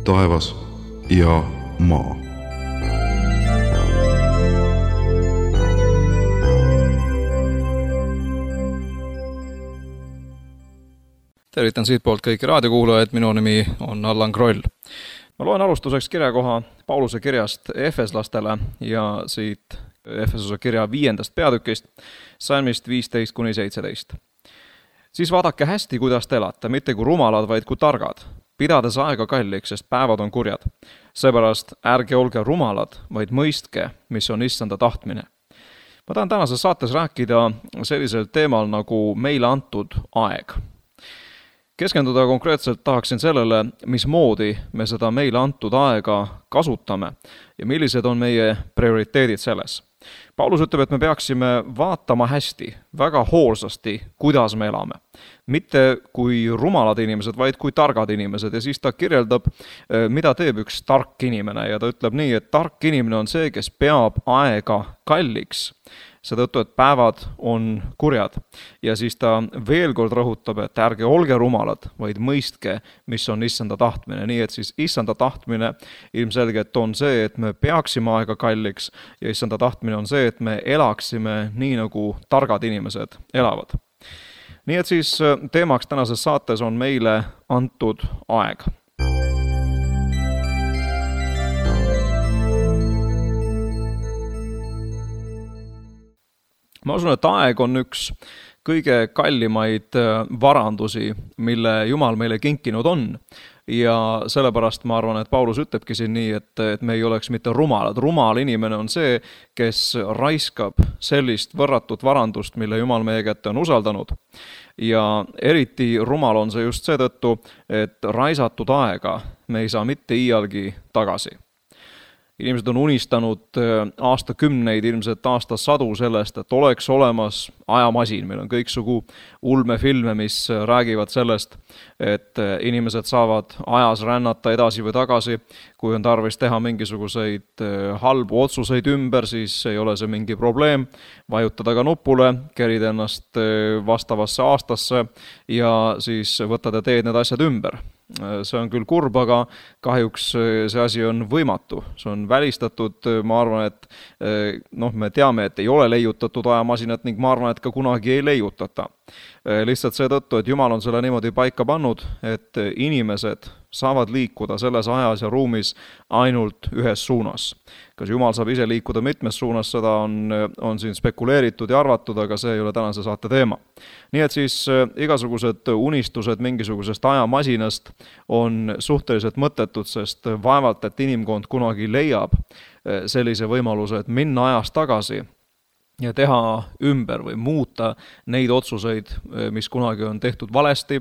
taevas ja maa. Tervitan siitpoolt kõiki raadiokuulajaid, minu nimi on Allan Kroll. Ma loen alustuseks kirjakoha Pauluse kirjast Efeslastele ja siit Efesose kirja 5. peatükist, salmist 15-17. Siis vaadake hästi, kuidas te elate, mitte kui rumalad, vaid kui targad, pidades aega kalliks, sest päevad on kurjad. Seepärast ärge olge rumalad, vaid mõistke, mis on issanda tahtmine. Ma tahan tänases saates rääkida sellisel teemal nagu meile antud aeg. Keskenduda konkreetselt tahaksin sellele, mismoodi me seda meile antud aega kasutame ja millised on meie prioriteedid selles. Paulus ütleb, et me peaksime vaatama hästi, väga hoolsasti, kuidas me elame. Mitte kui rumalad inimesed, vaid kui targad inimesed. Ja siis ta kirjeldab, mida teeb üks tark inimene. Ja ta ütleb nii, et tark inimene on see, kes peab aega kalliks. Seetõttu, et päevad on kurjad. Ja siis ta veel kord rõhutab, et ärge olge rumalad, vaid mõistke, mis on issanda tahtmine. Nii et siis issanda tahtmine ilmselgelt on see, et me peaksime aega kalliks ja issanda tahtmine on see, et me elaksime nii, nagu targad inimesed elavad. Nii et siis teemaks tänases saates on meile antud aeg. Ma usun, et aeg on üks kõige kallimaid varandusi, mille Jumal meile kinkinud on. Ja sellepärast ma arvan, et Paulus ütlebki siin nii, et me ei oleks mitte rumalad. Rumal inimene on see, kes raiskab sellist võrratut varandust, mille Jumal meie kätte on usaldanud. Ja eriti rumal on see just seetõttu, et raisatud aega me ei saa mitte iialgi tagasi. Inimesed on unistanud aastakümneid, ilmselt aastasadu sellest, et oleks olemas ajamasin. Meil on kõiksugu ulmefilme, mis räägivad sellest, et inimesed saavad ajas rännata edasi või tagasi. Kui on tarvis teha mingisuguseid halbu otsuseid ümber, siis ei ole see mingi probleem. Vajutada ka nupule, kerida ennast vastavasse aastasse ja siis võtad ja teed need asjad ümber. See on küll kurb, aga kahjuks see asi on võimatu. See on välistatud, ma arvan, et me teame, et ei ole leiutatud ajamasinat ning ma arvan, et ka kunagi ei leiutata. Lihtsalt seetõttu, et Jumal on selle niimoodi paika pannud, et inimesed saavad liikuda selles ajas ja ruumis ainult ühes suunas. Kas Jumal saab ise liikuda mitmes suunas, seda on siin spekuleeritud ja arvatud, aga see ei ole tänase saate teema. Nii et siis igasugused unistused mingisugusest ajamasinast on suhteliselt mõttetud, sest vaevalt, et inimkond kunagi leiab sellise võimaluse, et minna ajas tagasi ja teha ümber või muuta neid otsuseid, mis kunagi on tehtud valesti,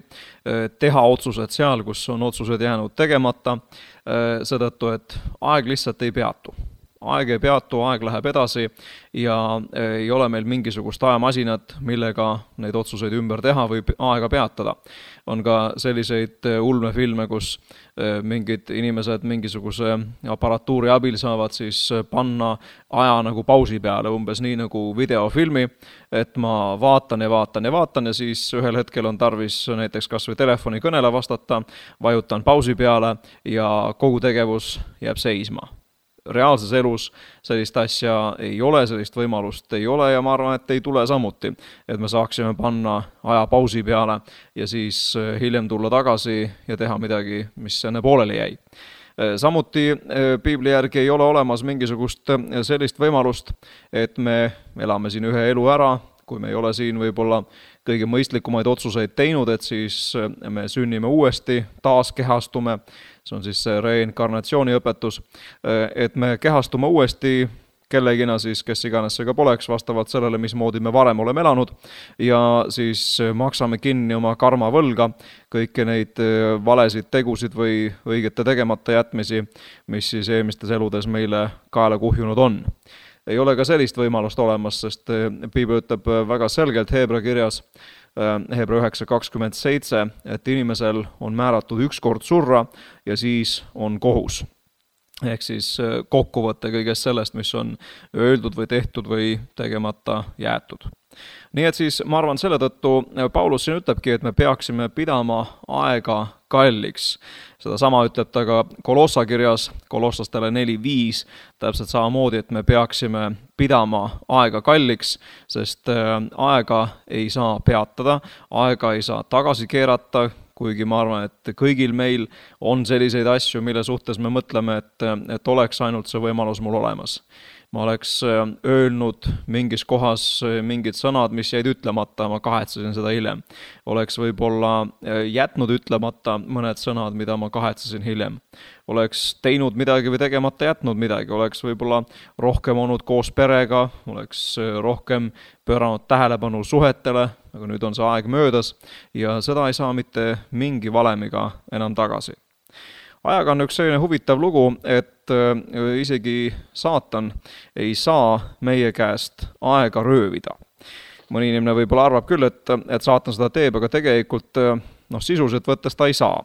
teha otsused seal, kus on otsused jäänud tegemata, seetõttu, et aeg lihtsalt ei peatu. Aeg ei peatu, aeg läheb edasi ja ei ole meil mingisugust ajamasinat, millega neid otsuseid ümber teha või aega peatada. On ka selliseid ulmefilme, kus mingid inimesed mingisuguse aparatuuri abil saavad siis panna aja nagu pausi peale, umbes nii nagu videofilmi, et ma vaatan ja siis ühel hetkel on tarvis näiteks kas või telefoni kõnele vastata, vajutan pausi peale ja kogu tegevus jääb seisma. Reaalses elus sellist asja ei ole, sellist võimalust ei ole ja ma arvan, et ei tule samuti, et me saaksime panna aja pausi peale ja siis hiljem tulla tagasi ja teha midagi, mis enne pooleli jäi. Samuti Piibli järgi ei ole olemas mingisugust sellist võimalust, et me elame siin ühe elu ära, kui me ei ole siin võib-olla kõige mõistlikumaid otsuseid teinud, et siis me sünnime uuesti, taas kehastume, see on siis see reinkarnatsiooni õpetus, et me kehastume uuesti kellegina siis, kes iganes see ka poleks, vastavalt sellele, mismoodi me varem oleme elanud ja siis maksame kinni oma karmavõlga, kõiki neid valesid tegusid või õigete tegemata jätmisi, mis siis eelmistes eludes meile kaela kuhjunud on. Ei ole ka sellist võimalust olemas, sest Piibel ütleb väga selgelt Heebra kirjas, Hebra 9:27, et inimesel on määratud üks kord surra ja siis on kohus. Ehk siis kokkuvõte kõigest sellest, mis on öeldud või tehtud või tegemata jäetud. Nii et siis ma arvan, selle tõttu Paulus siin ütlebki, et me peaksime pidama aega kalliks. Sedasama ütleb ta ka Kolossa kirjas, Kolossastele 4:5, täpselt samamoodi, et me peaksime pidama aega kalliks, sest aega ei saa peatada, aega ei saa tagasi keerata, kuigi ma arvan, et kõigil meil on selliseid asju, mille suhtes me mõtleme, et oleks ainult see võimalus mul olemas. Ma oleks öelnud mingis kohas mingid sõnad, mis jäid ütlemata, ma kahetsesin seda hiljem. Oleks võib-olla jätnud ütlemata mõned sõnad, mida ma kahetsesin hiljem. Oleks teinud midagi või tegemata jätnud midagi, oleks võib-olla rohkem olnud koos perega, oleks rohkem pööranud tähelepanu suhetele, aga nüüd on see aeg möödas ja seda ei saa mitte mingi valemiga enam tagasi. Ajaga on üks selline huvitav lugu, et isegi saatan ei saa meie käest aega röövida. Mõni inimene võib-olla arvab küll, et saatan seda teeb, aga tegelikult sisuliselt võttes ta ei saa.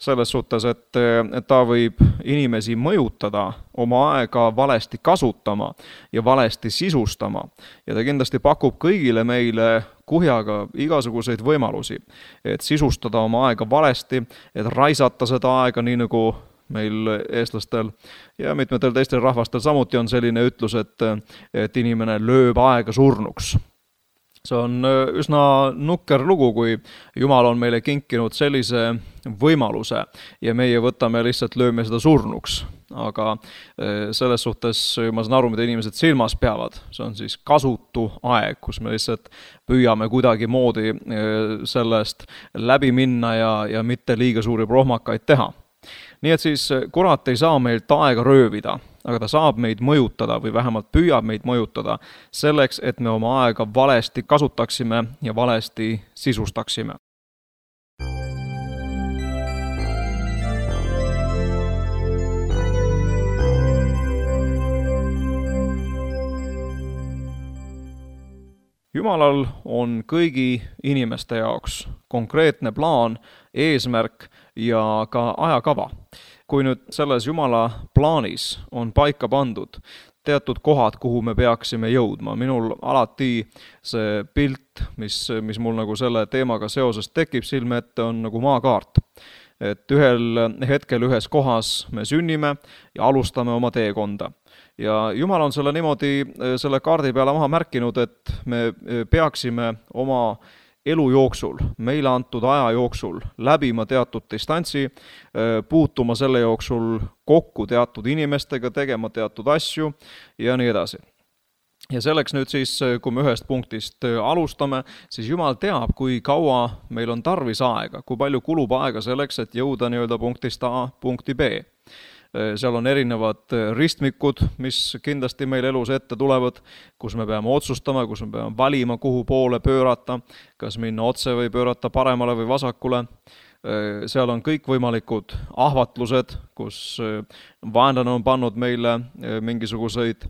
Selles suhtes, et ta võib inimesi mõjutada, oma aega valesti kasutama ja valesti sisustama. Ja ta kindlasti pakub kõigile meile kuhjaga igasuguseid võimalusi, et sisustada oma aega valesti, et raisata seda aega, nii nagu meil eestlastel ja mitmetel teistel rahvastel samuti on selline ütlus, et inimene lööb aega surnuks. See on üsna nukker lugu, kui Jumal on meile kinkinud sellise võimaluse ja meie võtame lihtsalt lööme seda surnuks. Aga selles suhtes ma saan aru, mida inimesed silmas peavad. See on siis kasutu aeg, kus me lihtsalt püüame kuidagi moodi sellest läbi minna ja mitte liiga suuri prohmakaid teha. Nii et siis kurat ei saa meilt aega röövida, aga ta saab meid mõjutada või vähemalt püüab meid mõjutada selleks, et me oma aega valesti kasutaksime ja valesti sisustaksime. Jumalal on kõigi inimeste jaoks konkreetne plaan, eesmärk ja ka ajakava. Kui nüüd selles Jumala plaanis on paika pandud teatud kohad, kuhu me peaksime jõudma. Minul alati see pilt, mis mul nagu selle teemaga seoses tekib silme ette, on nagu maakaart. Et ühel hetkel ühes kohas me sünnime ja alustame oma teekonda. Ja Jumal on selle niimoodi selle kaardi peale maha märkinud, et me peaksime oma elu jooksul, meile antud aja jooksul läbima teatud distantsi, puutuma selle jooksul kokku teatud inimestega, tegema teatud asju ja nii edasi. Ja selleks nüüd siis, kui me ühest punktist alustame, siis Jumal teab, kui kaua meil on tarvis aega, kui palju kulub aega selleks, et jõuda nii-öelda punktist A punkti B. Seal on erinevad ristmikud, mis kindlasti meil elus ette tulevad, kus me peame otsustama, kus me peame valima, kuhu poole pöörata, kas minna otse või pöörata paremale või vasakule. Seal on kõikvõimalikud ahvatlused, kus vaenlane on pannud meile mingisuguseid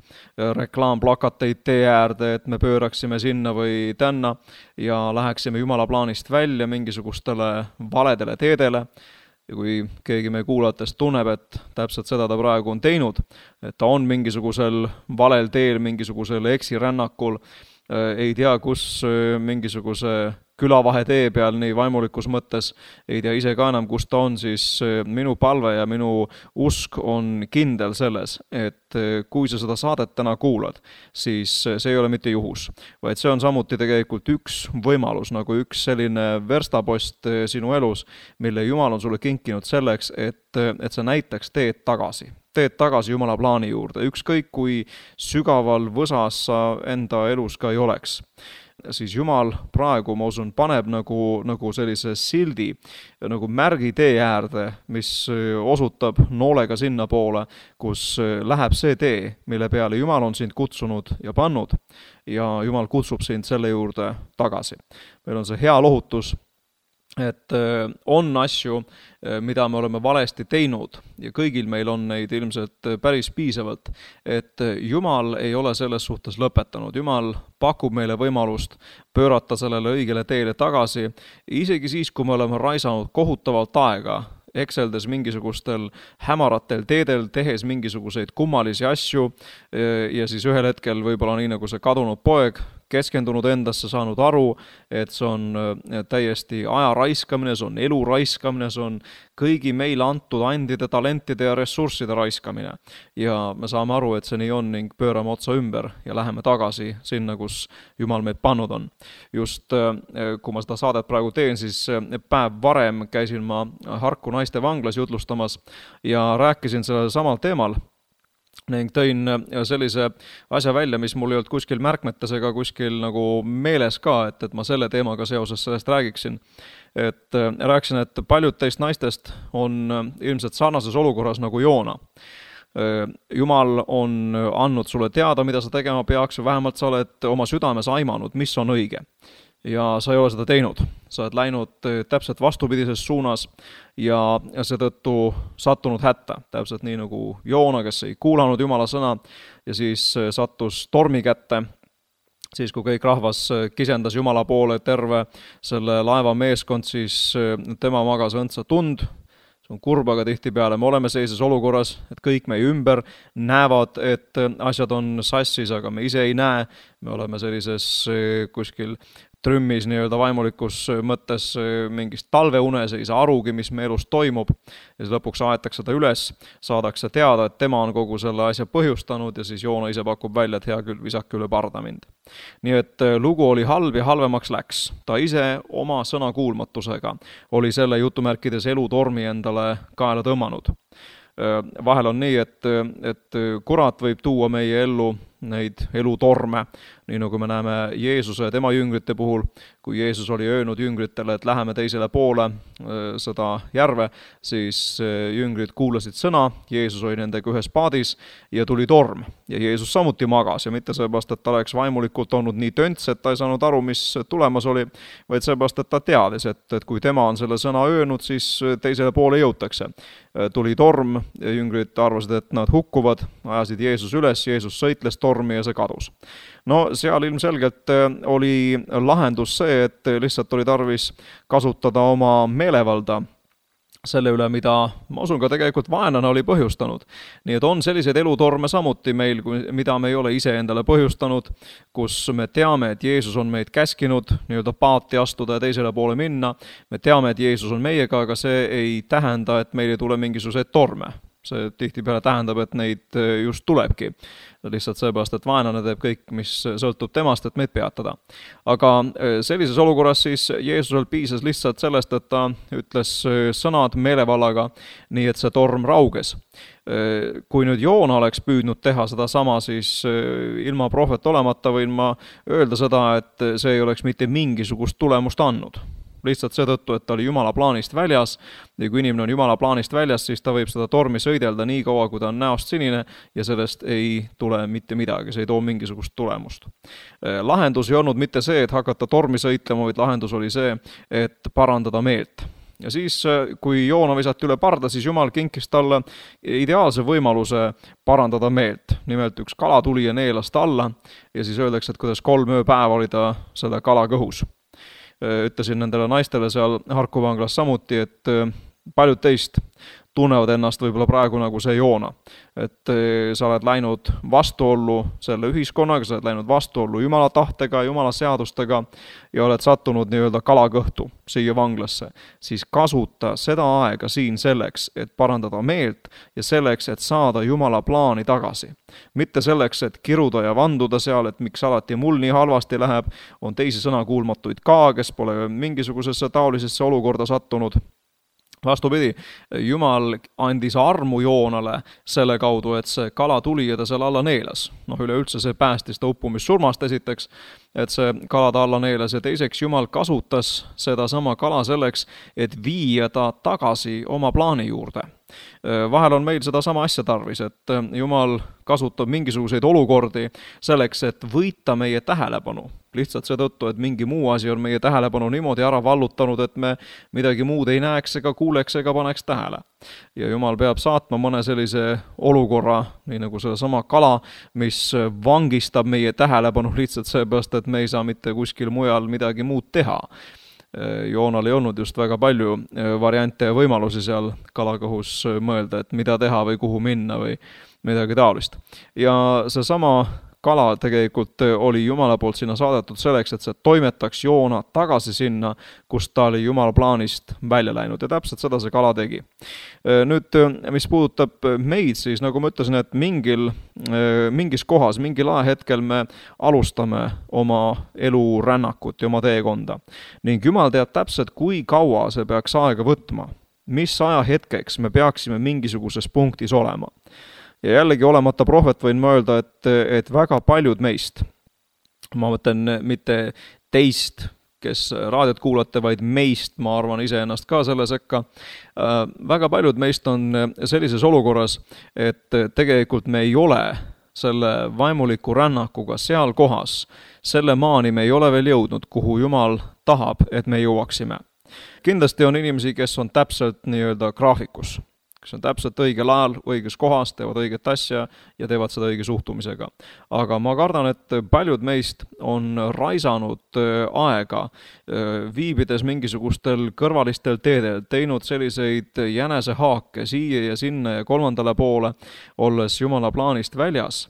reklaamplakateid tee äärde, et me pööraksime sinna või tänna ja läheksime Jumala plaanist välja mingisugustele valedele teedele. Ja kui keegi meie kuulajatest tunneb, et täpselt seda ta praegu on teinud, et ta on mingisugusel valel teel, mingisugusel eksirännakul, ei tea, kus mingisuguse külavahe tee peal, nii vaimulikus mõttes, ei tea ise ka enam, kus ta on, siis minu palve ja minu usk on kindel selles, et kui sa seda saadet täna kuulad, siis see ei ole mitte juhus, vaid see on samuti tegelikult üks võimalus, nagu üks selline verstapost sinu elus, mille Jumal on sulle kinkinud selleks, et sa näitaks teed tagasi Jumala plaani juurde, ükskõik kui sügaval võsas sa enda elus ka ei oleks. Siis Jumal praegu, ma usun, paneb nagu sellise sildi, nagu märgi tee äärde, mis osutab noolega sinna poole, kus läheb see tee, mille peale Jumal on sind kutsunud ja pannud ja Jumal kutsub sind selle juurde tagasi. Meil on see hea lohutus, et on asju, mida me oleme valesti teinud ja kõigil meil on neid ilmselt päris piisavalt, et Jumal ei ole selles suhtes lõpetanud. Jumal pakub meile võimalust pöörata sellele õigele teele tagasi, isegi siis, kui me oleme raisanud kohutavalt aega, ekseldes mingisugustel hämaratel teedel, tehes mingisuguseid kummalisi asju ja siis ühel hetkel võib-olla nii nagu see kadunud poeg, keskendunud endasse, saanud aru, et see on täiesti aja raiskamine, see on elu raiskamine, see on kõigi meile antud andide, talentide ja ressursside raiskamine. Ja me saame aru, et see nii on ning pöörame otsa ümber ja läheme tagasi sinna, kus Jumal meid pannud on. Just kui ma seda saadet praegu teen, siis päev varem käisin ma Harku naiste vanglas jutlustamas ja rääkisin sellel samal teemal ning tõin sellise asja välja, mis mul ei olnud kuskil märkmetes ega kuskil nagu meeles ka, et ma selle teemaga seoses sellest räägiksin. Et rääkisin, et paljud teist naistest on ilmselt sarnases olukorras nagu Joona. Jumal on andnud sulle teada, mida sa tegema peaks, või vähemalt sa oled oma südames aimanud, mis on õige. Ja sa ei ole seda teinud. Sa oled läinud täpselt vastupidises suunas ja seetõttu sattunud hätta. Täpselt nii nagu Joona, kes ei kuulanud Jumala sõna ja siis sattus tormi kätte. Siis kui kõik rahvas kisendas Jumala poole terve selle laeva meeskond, siis tema magas õndsa tund. See on kurb, aga tihtipeale me oleme sellises olukorras, et kõik meie ümber näevad, et asjad on sassis, aga me ise ei näe. Me oleme sellises kuskil trümmis nii-öelda vaimulikus mõttes mingist talveunes, ei saa arugi, mis me elus toimub. Ja siis lõpuks aetakse ta üles, saadakse teada, et tema on kogu selle asja põhjustanud ja siis Joona ise pakub välja, et hea küll, visake üle parda mind. Nii et lugu oli halb ja halvemaks läks. Ta ise oma sõnakuulmatusega oli selle jutumärkides elutormi endale kaela tõmmanud. Vahel on nii, et kurat võib tuua meie ellu neid elutorme, nii nagu me näeme Jeesuse ja tema jüngrite puhul, kui Jeesus oli öelnud jüngritele, et läheme teisele poole seda järve, siis jüngrid kuulasid sõna, Jeesus oli nendega ühes paadis ja tuli torm. Ja Jeesus samuti magas ja mitte seepärast, et ta oleks vaimulikult olnud nii tönts, et ta ei saanud aru, mis tulemas oli, vaid seepärast, et ta teadis, et kui tema on selle sõna öelnud, siis teisele poole jõutakse. Tuli torm, jüngrid arvasid, et nad hukkuvad, ajasid Jeesus üles, Jeesus sõitles tormi ja see kadus. No seal ilmselgelt oli lahendus see, et lihtsalt oli tarvis kasutada oma meelevalda selle üle, mida ma usun ka tegelikult vaenlane oli põhjustanud. Nii et on selliseid elutorme samuti meil, mida me ei ole ise endale põhjustanud, kus me teame, et Jeesus on meid käskinud nii-öelda paati astuda ja teisele poole minna. Me teame, et Jeesus on meiega, aga see ei tähenda, et meil ei tule mingisuguseid torme. See tihtipeale tähendab, et neid just tulebki. Lihtsalt seepärast, et vaenlane teeb kõik, mis sõltub temast, et meid peatada. Aga sellises olukorras siis Jeesusel piisas lihtsalt sellest, et ta ütles sõnad meelevallaga, nii et see torm rauges. Kui nüüd Joona oleks püüdnud teha seda sama, siis ilma prohvet olemata võin ma öelda seda, et see ei oleks mitte mingisugust tulemust andnud. Lihtsalt seetõttu, et ta oli Jumala plaanist väljas ja kui inimene on Jumala plaanist väljas, siis ta võib seda tormi sõidelda nii kaua, kui ta on näost sinine ja sellest ei tule mitte midagi, see ei too mingisugust tulemust. Lahendus ei olnud mitte see, et hakata tormi sõitlema, vaid lahendus oli see, et parandada meelt. Ja siis, kui Joona visati üle parda, siis Jumal kinkis talle ideaalse võimaluse parandada meelt. Nimelt üks kala tuli ja neelas ta alla ja siis öeldakse, et kuidas 3 ööpäeva oli ta selle kala kõhus. Ütlesin nendele naistele seal Harku vanglas samuti, et paljud teist tunnevad ennast võib-olla praegu nagu see Joona. Et sa oled läinud vastuollu selle ühiskonnaga, sa oled läinud vastuollu Jumala tahtega, Jumala seadustega ja oled sattunud nii-öelda kalakõhtu siia vanglasse. Siis kasuta seda aega siin selleks, et parandada meelt ja selleks, et saada Jumala plaani tagasi. Mitte selleks, et kiruda ja vanduda seal, et miks alati mul nii halvasti läheb, on teisi sõnakuulmatuid ka, kes pole mingisugusesse taolisesse olukorda sattunud. Vastupidi, Jumal andis armu Joonale selle kaudu, et see kala tuli ja ta seal alla neelas. Üleüldse see päästis ta uppumissurmast esiteks, et see kala ta alla neelas ja teiseks Jumal kasutas seda sama kala selleks, et viia ta tagasi oma plaani juurde. Vahel on meil seda sama asja tarvis, et Jumal kasutab mingisuguseid olukordi selleks, et võita meie tähelepanu. Lihtsalt seetõttu, et mingi muu asi on meie tähelepanu niimoodi ära vallutanud, et me midagi muud ei näeks ega kuuleks ega paneks tähele. Ja Jumal peab saatma mõne sellise olukorra, nii nagu selle sama kala, mis vangistab meie tähelepanu lihtsalt seepärast, et me ei saa mitte kuskil mujal midagi muud teha. Joonal ei olnud just väga palju variante ja võimalusi seal kalakõhus mõelda, et mida teha või kuhu minna või midagi taolist. Ja see sama kala tegelikult oli Jumala poolt sinna saadetud selleks, et see toimetaks Joona tagasi sinna, kus ta oli Jumala plaanist välja läinud ja täpselt seda see kala tegi. Nüüd, mis puudutab meid, siis nagu ma ütlesin, et mingis kohas, mingil ajahetkel me alustame oma elurännakut ja oma teekonda. Ning Jumal teab täpselt, kui kaua see peaks aega võtma, mis ajahetkeks me peaksime mingisuguses punktis olema. Ja jällegi olemata prohvet võin ma öelda, et väga paljud meist, ma mõtlen mitte teist, kes raadiot kuulate, vaid meist, ma arvan iseennast ka selle sekka, väga paljud meist on sellises olukorras, et tegelikult me ei ole selle vaimuliku rännakuga seal kohas, selle maani me ei ole veel jõudnud, kuhu Jumal tahab, et me jõuaksime. Kindlasti on inimesi, kes on täpselt nii-öelda graafikus, kes on täpselt õigel ajal, õiges kohas, teevad õiget asja ja teevad seda õige suhtumisega. Aga ma kardan, et paljud meist on raisanud aega, viibides mingisugustel kõrvalistel teedel, teinud selliseid jänesehaake siia ja sinna ja kolmandale poole, olles Jumala plaanist väljas.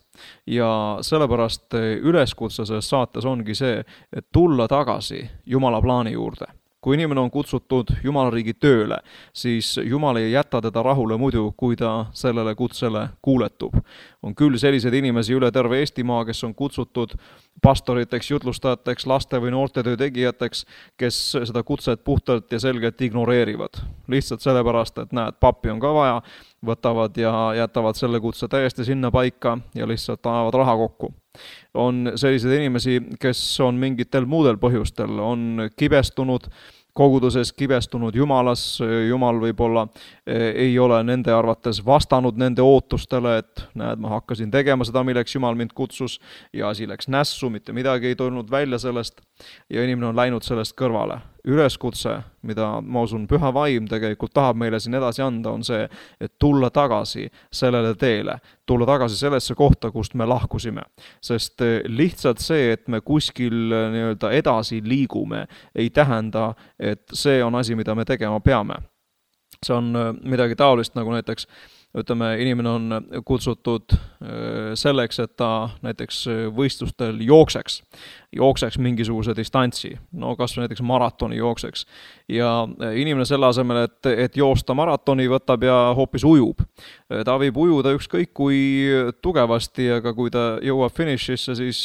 Ja sellepärast üleskutse selles saates ongi see, et tulla tagasi Jumala plaani juurde. Kui inimene on kutsutud Jumala riigi tööle, siis Jumal ei jäta teda rahule muidu, kui ta sellele kutsele kuuletub. On küll selliseid inimesi üle terve Eestimaa, kes on kutsutud pastoriteks, jutlustajateks, laste või noortetöö tegijateks, kes seda kutset puhtalt ja selgelt ignoreerivad. Lihtsalt sellepärast, et näed, pappi on ka vaja, võtavad ja jätavad selle kutse täiesti sinna paika ja lihtsalt ajavad raha kokku. On selliseid inimesi, kes on mingitel muudel põhjustel, on kibestunud, koguduses kibestunud Jumalas, Jumal võib-olla ei ole nende arvates vastanud nende ootustele, et näed, ma hakkasin tegema seda, milleks Jumal mind kutsus ja asi läks nässu, mitte midagi ei tulnud välja sellest ja inimene on läinud sellest kõrvale. Üleskutse, mida ma usun püha vaim tegelikult tahab meile siin edasi anda, on see, et tulla tagasi sellele teele, tulla tagasi sellesse kohta, kust me lahkusime. Sest lihtsalt see, et me kuskil nii-öelda edasi liigume, ei tähenda, et see on asi, mida me tegema peame. See on midagi taolist, nagu näiteks ütleme, inimene on kutsutud selleks, et ta näiteks võistlustel jookseks mingisuguse distantsi, no kas või näiteks maratoni jookseks. Ja inimene selle asemel, et joosta maratoni, võtab ja hoopis ujub. Ta võib ujuda ükskõik kui tugevasti, aga kui ta jõuab finišisse, siis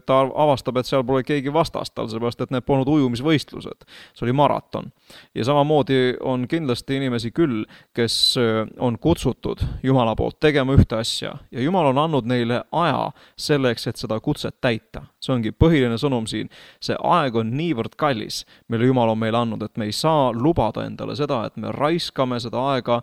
ta avastab, et seal pole keegi vastast tal, seepärast, et need polnud ujumisvõistlused. See oli maraton. Ja samamoodi on kindlasti inimesi küll, kes on kutsutud Jumala poolt tegema ühte asja ja Jumal on andnud neile aja selleks, et seda kutset täita. See ongi põhiline sõnum siin. See aeg on niivõrd kallis, mille Jumal on meile andnud, et me ei saa lubada endale seda, et me raiskame seda aega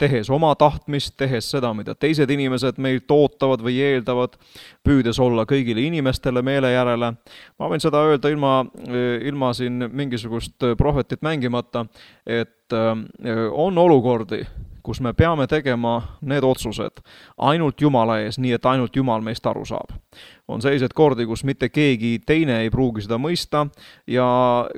tehes oma tahtmist, tehes seda, mida teised inimesed meilt ootavad või eeldavad, püüdes olla kõigile inimestele meele järele. Ma võin seda öelda ilma siin mingisugust prohvetit mängimata, et on olukordi, kus me peame tegema need otsused ainult Jumala ees, nii et ainult Jumal meist aru saab. On sellised kordi, kus mitte keegi teine ei pruugi seda mõista ja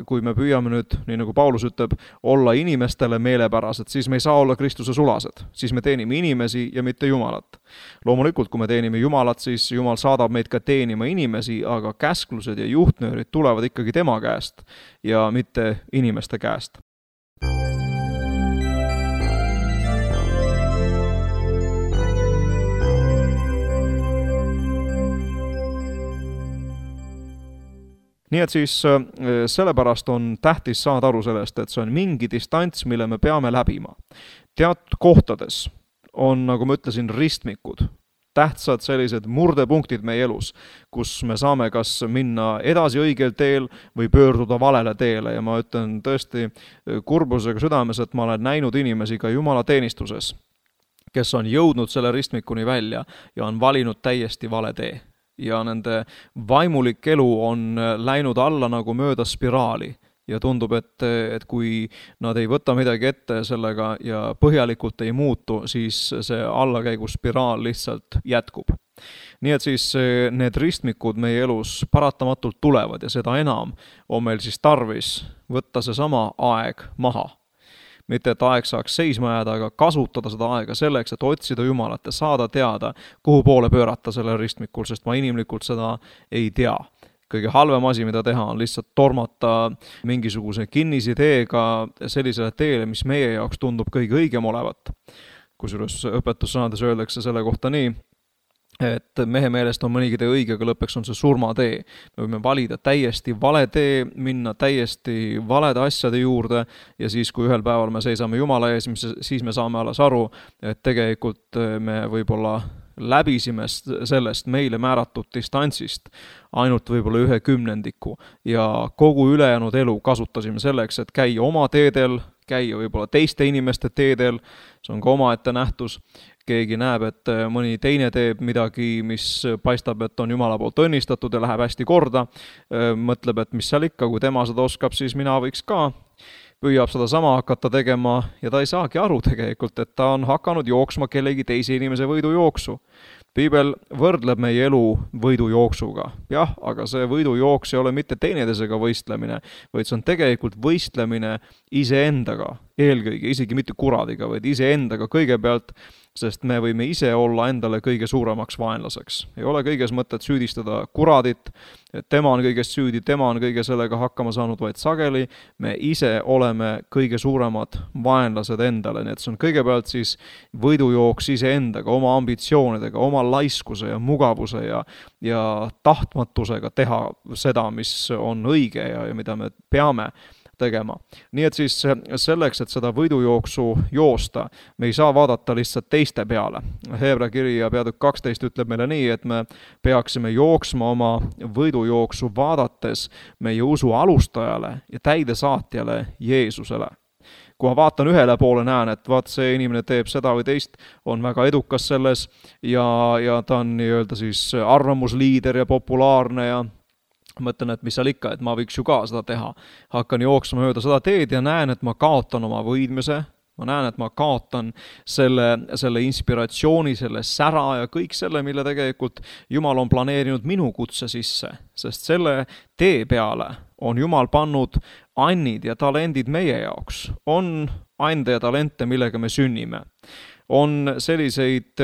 kui me püüame nüüd, nii nagu Paulus ütleb, olla inimestele meelepärased, siis me ei saa olla Kristuse sulased. Siis me teenime inimesi ja mitte Jumalat. Loomulikult, kui me teenime Jumalat, siis Jumal saadab meid ka teenima inimesi, aga käsklused ja juhtnöörid tulevad ikkagi tema käest ja mitte inimeste käest. Nii et siis sellepärast on tähtis saada aru sellest, et see on mingi distants, mille me peame läbima. Teatud kohtades on, nagu ma ütlesin, ristmikud, tähtsad sellised murdepunktid meie elus, kus me saame kas minna edasi õigel teel või pöörduda valele teele ja ma ütlen tõesti kurbusega südames, et ma olen näinud inimesi ka Jumala teenistuses, kes on jõudnud selle ristmikuni välja ja on valinud täiesti vale tee. Ja nende vaimulik elu on läinud alla nagu mööda spiraali ja tundub, et kui nad ei võta midagi ette sellega ja põhjalikult ei muutu, siis see allakäigu spiraal lihtsalt jätkub. Nii et siis need ristmikud meie elus paratamatult tulevad ja seda enam on meil siis tarvis võtta see sama aeg maha. mitte et aeg saaks seisma jääda, aga kasutada seda aega selleks, et otsida Jumalat ja saada teada, kuhu poole pöörata sellel ristmikul, sest ma inimlikult seda ei tea. Kõige halvem asi, mida teha, on lihtsalt tormata mingisuguse kinnisideega sellisele teele, mis meie jaoks tundub kõige õigem olevat. Kusjuures õpetussõnades öeldakse selle kohta nii, et mehe meelest on mõnigi tee õige, aga lõppeks on see surmatee. Me võime valida täiesti vale tee, minna täiesti valede asjade juurde ja siis, kui ühel päeval me seisame Jumala ees, siis me saame alles aru, et tegelikult me võib-olla läbisime sellest meile määratud distantsist ainult võib-olla 1/10 ja kogu ülejäänud elu kasutasime selleks, et käia oma teedel, käia võib-olla teiste inimeste teedel, see on ka omaette nähtus. Keegi näeb, et mõni teine teeb midagi, mis paistab, et on Jumala poolt õnnistatud ja läheb hästi korda, mõtleb, et mis seal ikka, kui tema seda oskab, siis mina võiks ka, püüab seda sama hakata tegema ja ta ei saagi aru tegelikult, et ta on hakanud jooksma kellegi teise inimese võidujooksu. Piibel võrdleb meie elu võidujooksuga. Jah, aga see võidujooks ei ole mitte teineteisega võistlemine, vaid see on tegelikult võistlemine iseendaga, eelkõige, isegi mitte kuradiga, vaid iseendaga kõigepealt, sest me võime ise olla endale kõige suuremaks vaenlaseks. Ei ole kõiges mõtet süüdistada kuradit, et tema on kõigest süüdi, tema on kõige sellega hakkama saanud, vaid sageli me ise oleme kõige suuremad vaenlased endale, nii et see on kõigepealt siis võidujooks iseendaga, oma ambitsioonidega, oma laiskuse ja mugavuse ja tahtmatusega teha seda, mis on õige ja mida me peame tegema. Nii et siis selleks, et seda võidujooksu joosta, me ei saa vaadata lihtsalt teiste peale. Heebra kiri ja peatükk 12 ütleb meile nii, et me peaksime jooksma oma võidujooksu vaadates meie usu alustajale ja täidesaatjale Jeesusele. Kui ma vaatan ühele poole, näen, et vaat see inimene teeb seda või teist, on väga edukas selles ja ta on nii-öelda siis arvamusliider ja populaarne ja mõtlen, et mis seal ikka, et ma võiks ju ka seda teha. Hakkan jooksma mööda seda teed ja näen, et ma kaotan oma võidmise, ma näen, et ma kaotan selle inspiratsiooni, selle sära ja kõik selle, mille tegelikult Jumal on planeerinud minu kutse sisse, sest selle tee peale on Jumal pannud annid ja talendid meie jaoks. On ande ja talente, millega me sünnime. On selliseid,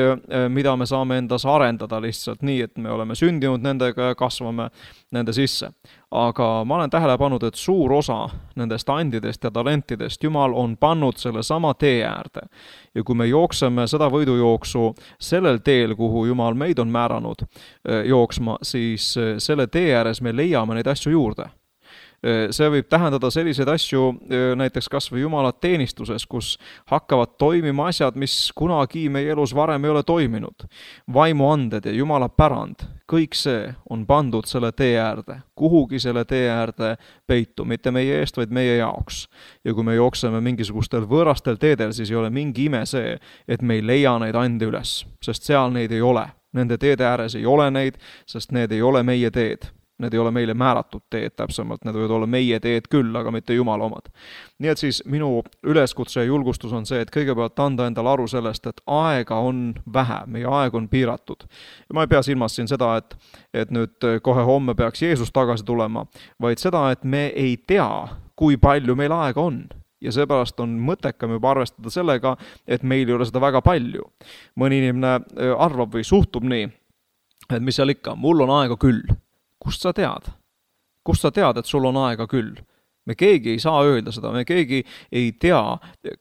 mida me saame endas arendada lihtsalt nii, et me oleme sündinud nendega ja kasvame nende sisse. Aga ma olen tähele pannud, et suur osa nendest andidest ja talentidest Jumal on pannud selle sama tee äärde. Ja kui me jookseme seda võidujooksu sellel teel, kuhu Jumal meid on määranud jooksma, siis selle tee ääres me leiame neid asju juurde. See võib tähendada selliseid asju näiteks kas või Jumala teenistuses, kus hakkavad toimima asjad, mis kunagi meie elus varem ei ole toiminud. Vaimuanded ja Jumala pärand, kõik see on pandud selle tee äärde, kuhugi selle tee äärde peitu, mitte meie eest, vaid meie jaoks. Ja kui me jookseme mingisugustel võõrastel teedel, siis ei ole mingi ime see, et me ei leia neid ande üles, sest seal neid ei ole. Nende teede ääres ei ole neid, sest need ei ole meie teed. Need ei ole meile määratud teed täpsemalt, need võivad olla meie teed küll, aga mitte Jumala omad. Nii et siis minu üleskutse ja julgustus on see, et kõigepealt anda endale aru sellest, et aega on vähe, meie aeg on piiratud. Ja ma ei pea silmas siin seda, et nüüd kohe homme peaks Jeesus tagasi tulema, vaid seda, et me ei tea, kui palju meil aega on. Ja seepärast on mõttekam juba arvestada sellega, et meil ei ole seda väga palju. Mõni inimene arvab või suhtub nii, et mis seal ikka, mul on aega küll. Kust sa tead? Kust sa tead, et sul on aega küll? Me keegi ei saa öelda seda, me keegi ei tea,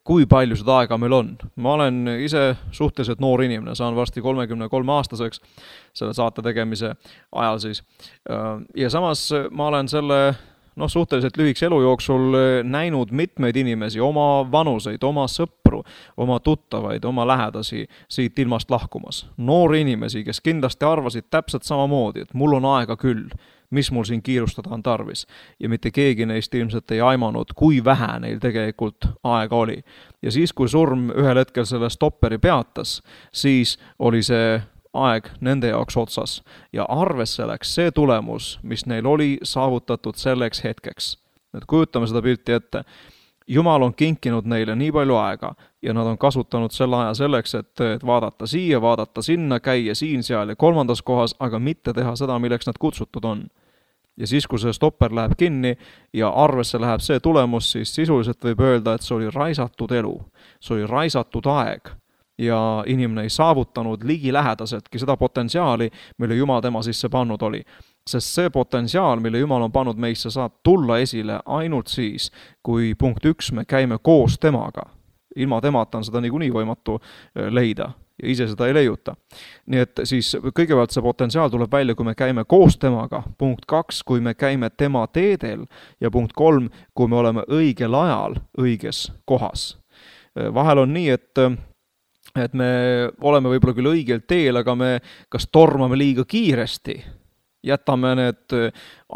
kui palju seda aega meil on. Ma olen ise suhteliselt noor inimene, saan varsti 33-aastaseks selle saate tegemise ajal siis. Ja samas ma olen selle suhteliselt lühikese elu jooksul näinud mitmeid inimesi, oma vanuseid, oma sõpru, oma tuttavaid, oma lähedasi siit ilmast lahkumas. Noori inimesi, kes kindlasti arvasid täpselt samamoodi, et mul on aega küll, mis mul siin kiirustada on tarvis. Ja mitte keegi neist ilmselt ei aimanud, kui vähe neil tegelikult aega oli. Ja siis, kui surm ühel hetkel selle stopperi peatas, siis oli see aeg nende jaoks otsas ja arvesse läks see tulemus, mis neil oli saavutatud selleks hetkeks. Nüüd kujutame seda pilti ette. Jumal on kinkinud neile nii palju aega ja nad on kasutanud selle aja selleks, et vaadata siia, vaadata sinna, käia siin, seal ja kolmandas kohas, aga mitte teha seda, milleks nad kutsutud on. ja siis, kui see stopper läheb kinni ja arvesse läheb see tulemus, siis sisuliselt võib öelda, et see oli raisatud elu, see oli raisatud aeg ja inimene ei saavutanud ligilähedaseltki seda potentsiaali, mille Jumal tema sisse pannud oli. Sest see potentsiaal, mille Jumal on pannud meisse, saab tulla esile ainult siis, kui punkt 1, me käime koos temaga. Ilma temata on seda niikuinii võimatu leida ja ise seda ei leiuta. Nii et siis kõigepealt see potentsiaal tuleb välja, kui me käime koos temaga. Punkt 2, kui me käime tema teedel ja punkt 3, kui me oleme õigel ajal õiges kohas. Vahel on nii, et me oleme võib-olla küll õigel teel, aga me kas tormame liiga kiiresti, jätame need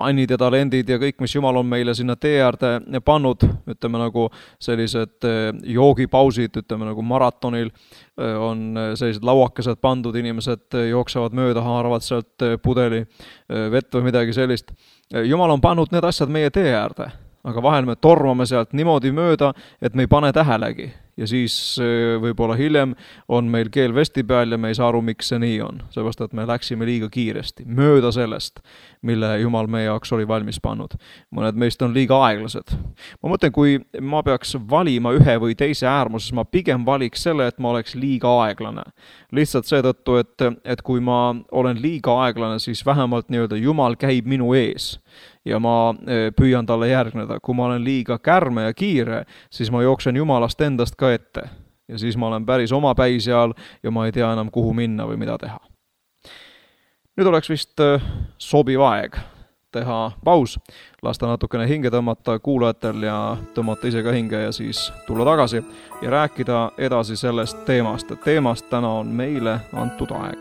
annid ja talendid ja kõik, mis Jumal on meile sinna tee äärde pannud, ütleme nagu sellised joogipausid, ütleme nagu maratonil on sellised lauakesed pandud, inimesed jooksevad mööda, haaravad sealt pudeli vett või midagi sellist. Jumal on pannud need asjad meie tee äärde, aga vahel me tormame sealt niimoodi mööda, et me ei pane tähelegi. Ja siis võib-olla hiljem on meil keel vesti peal ja me ei saa aru, miks see nii on. Seepärast, et me läksime liiga kiiresti, mööda sellest, mille Jumal meie jaoks oli valmis pannud. Mõned meist on liiga aeglased. Ma mõtlen, kui ma peaks valima ühe või teise äärmuses, ma pigem valiks selle, et ma oleks liiga aeglane. Lihtsalt seetõttu, et kui ma olen liiga aeglane, siis vähemalt nii-öelda Jumal käib minu ees ja ma püüan talle järgneda. Kui ma olen liiga kärme ja kiire, siis ma jooksen Jumalast endast ka ette. Ja siis ma olen päris oma päi seal ja ma ei tea enam, kuhu minna või mida teha. Nüüd oleks vist sobiv aeg teha paus, lasta natukene hinge tõmmata kuulajatel ja tõmmata ise ka hinge ja siis tulla tagasi ja rääkida edasi sellest teemast. Teemast täna on meile antud aeg.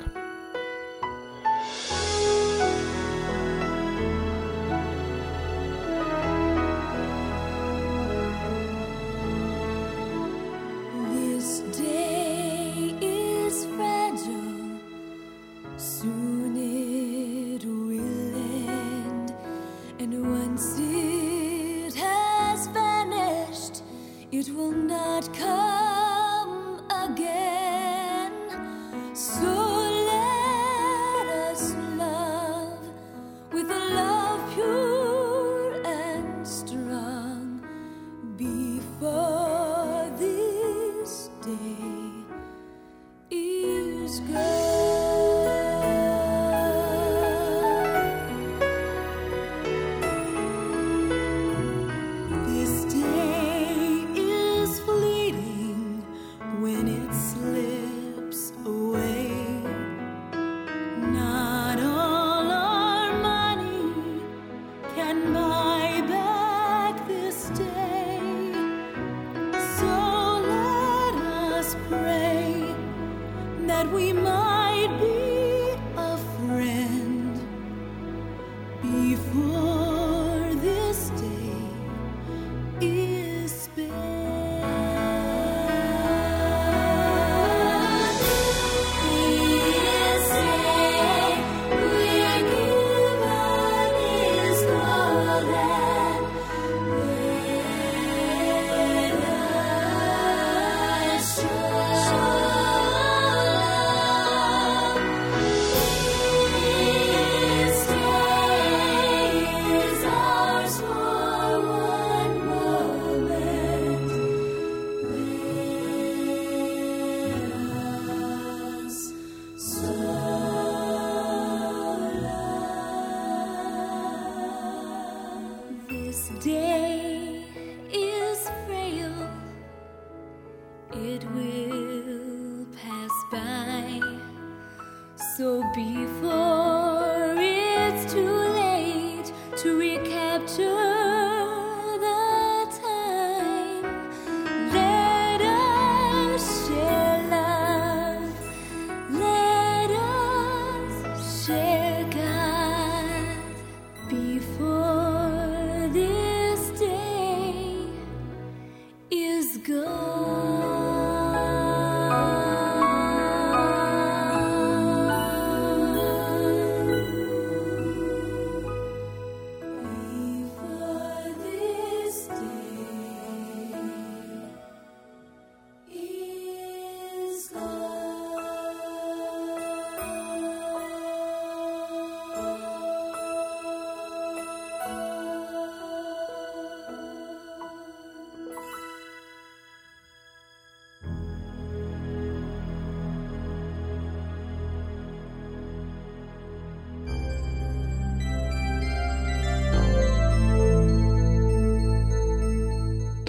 This day is fleeting.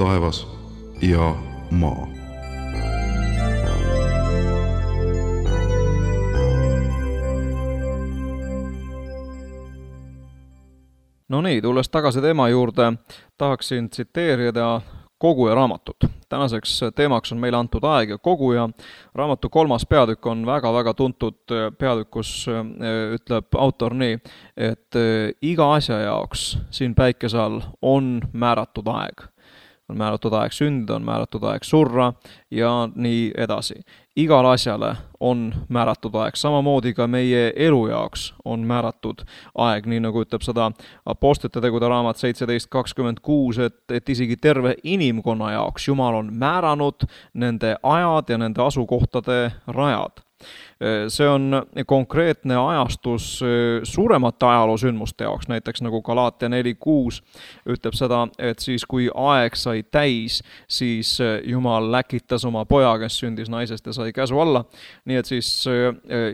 taevas ja maa. No nii, tulles tagasi teema juurde, tahaksin tsiteerida Koguja raamatut. Tänaseks teemaks on meile antud aeg ja Koguja. Raamatu 3. peatükk on väga-väga tuntud peatükk, kus ütleb autor nii, et iga asja jaoks siin päikese all on määratud aeg. On määratud aeg sündida, on määratud aeg surra ja nii edasi. Igal asjale on määratud aeg, samamoodi ka meie elu jaoks on määratud aeg, nii nagu ütleb seda Apostlite tegude raamat 17.26, et isegi terve inimkonna jaoks Jumal on määranud nende ajad ja nende asukohtade rajad. See on konkreetne ajastus suuremate ajaloosündmuste jaoks, näiteks nagu Galaatia 4.6 ütleb seda, et siis kui aeg sai täis, siis Jumal läkitas oma poja, kes sündis naisest ja sai käsu alla. Nii et siis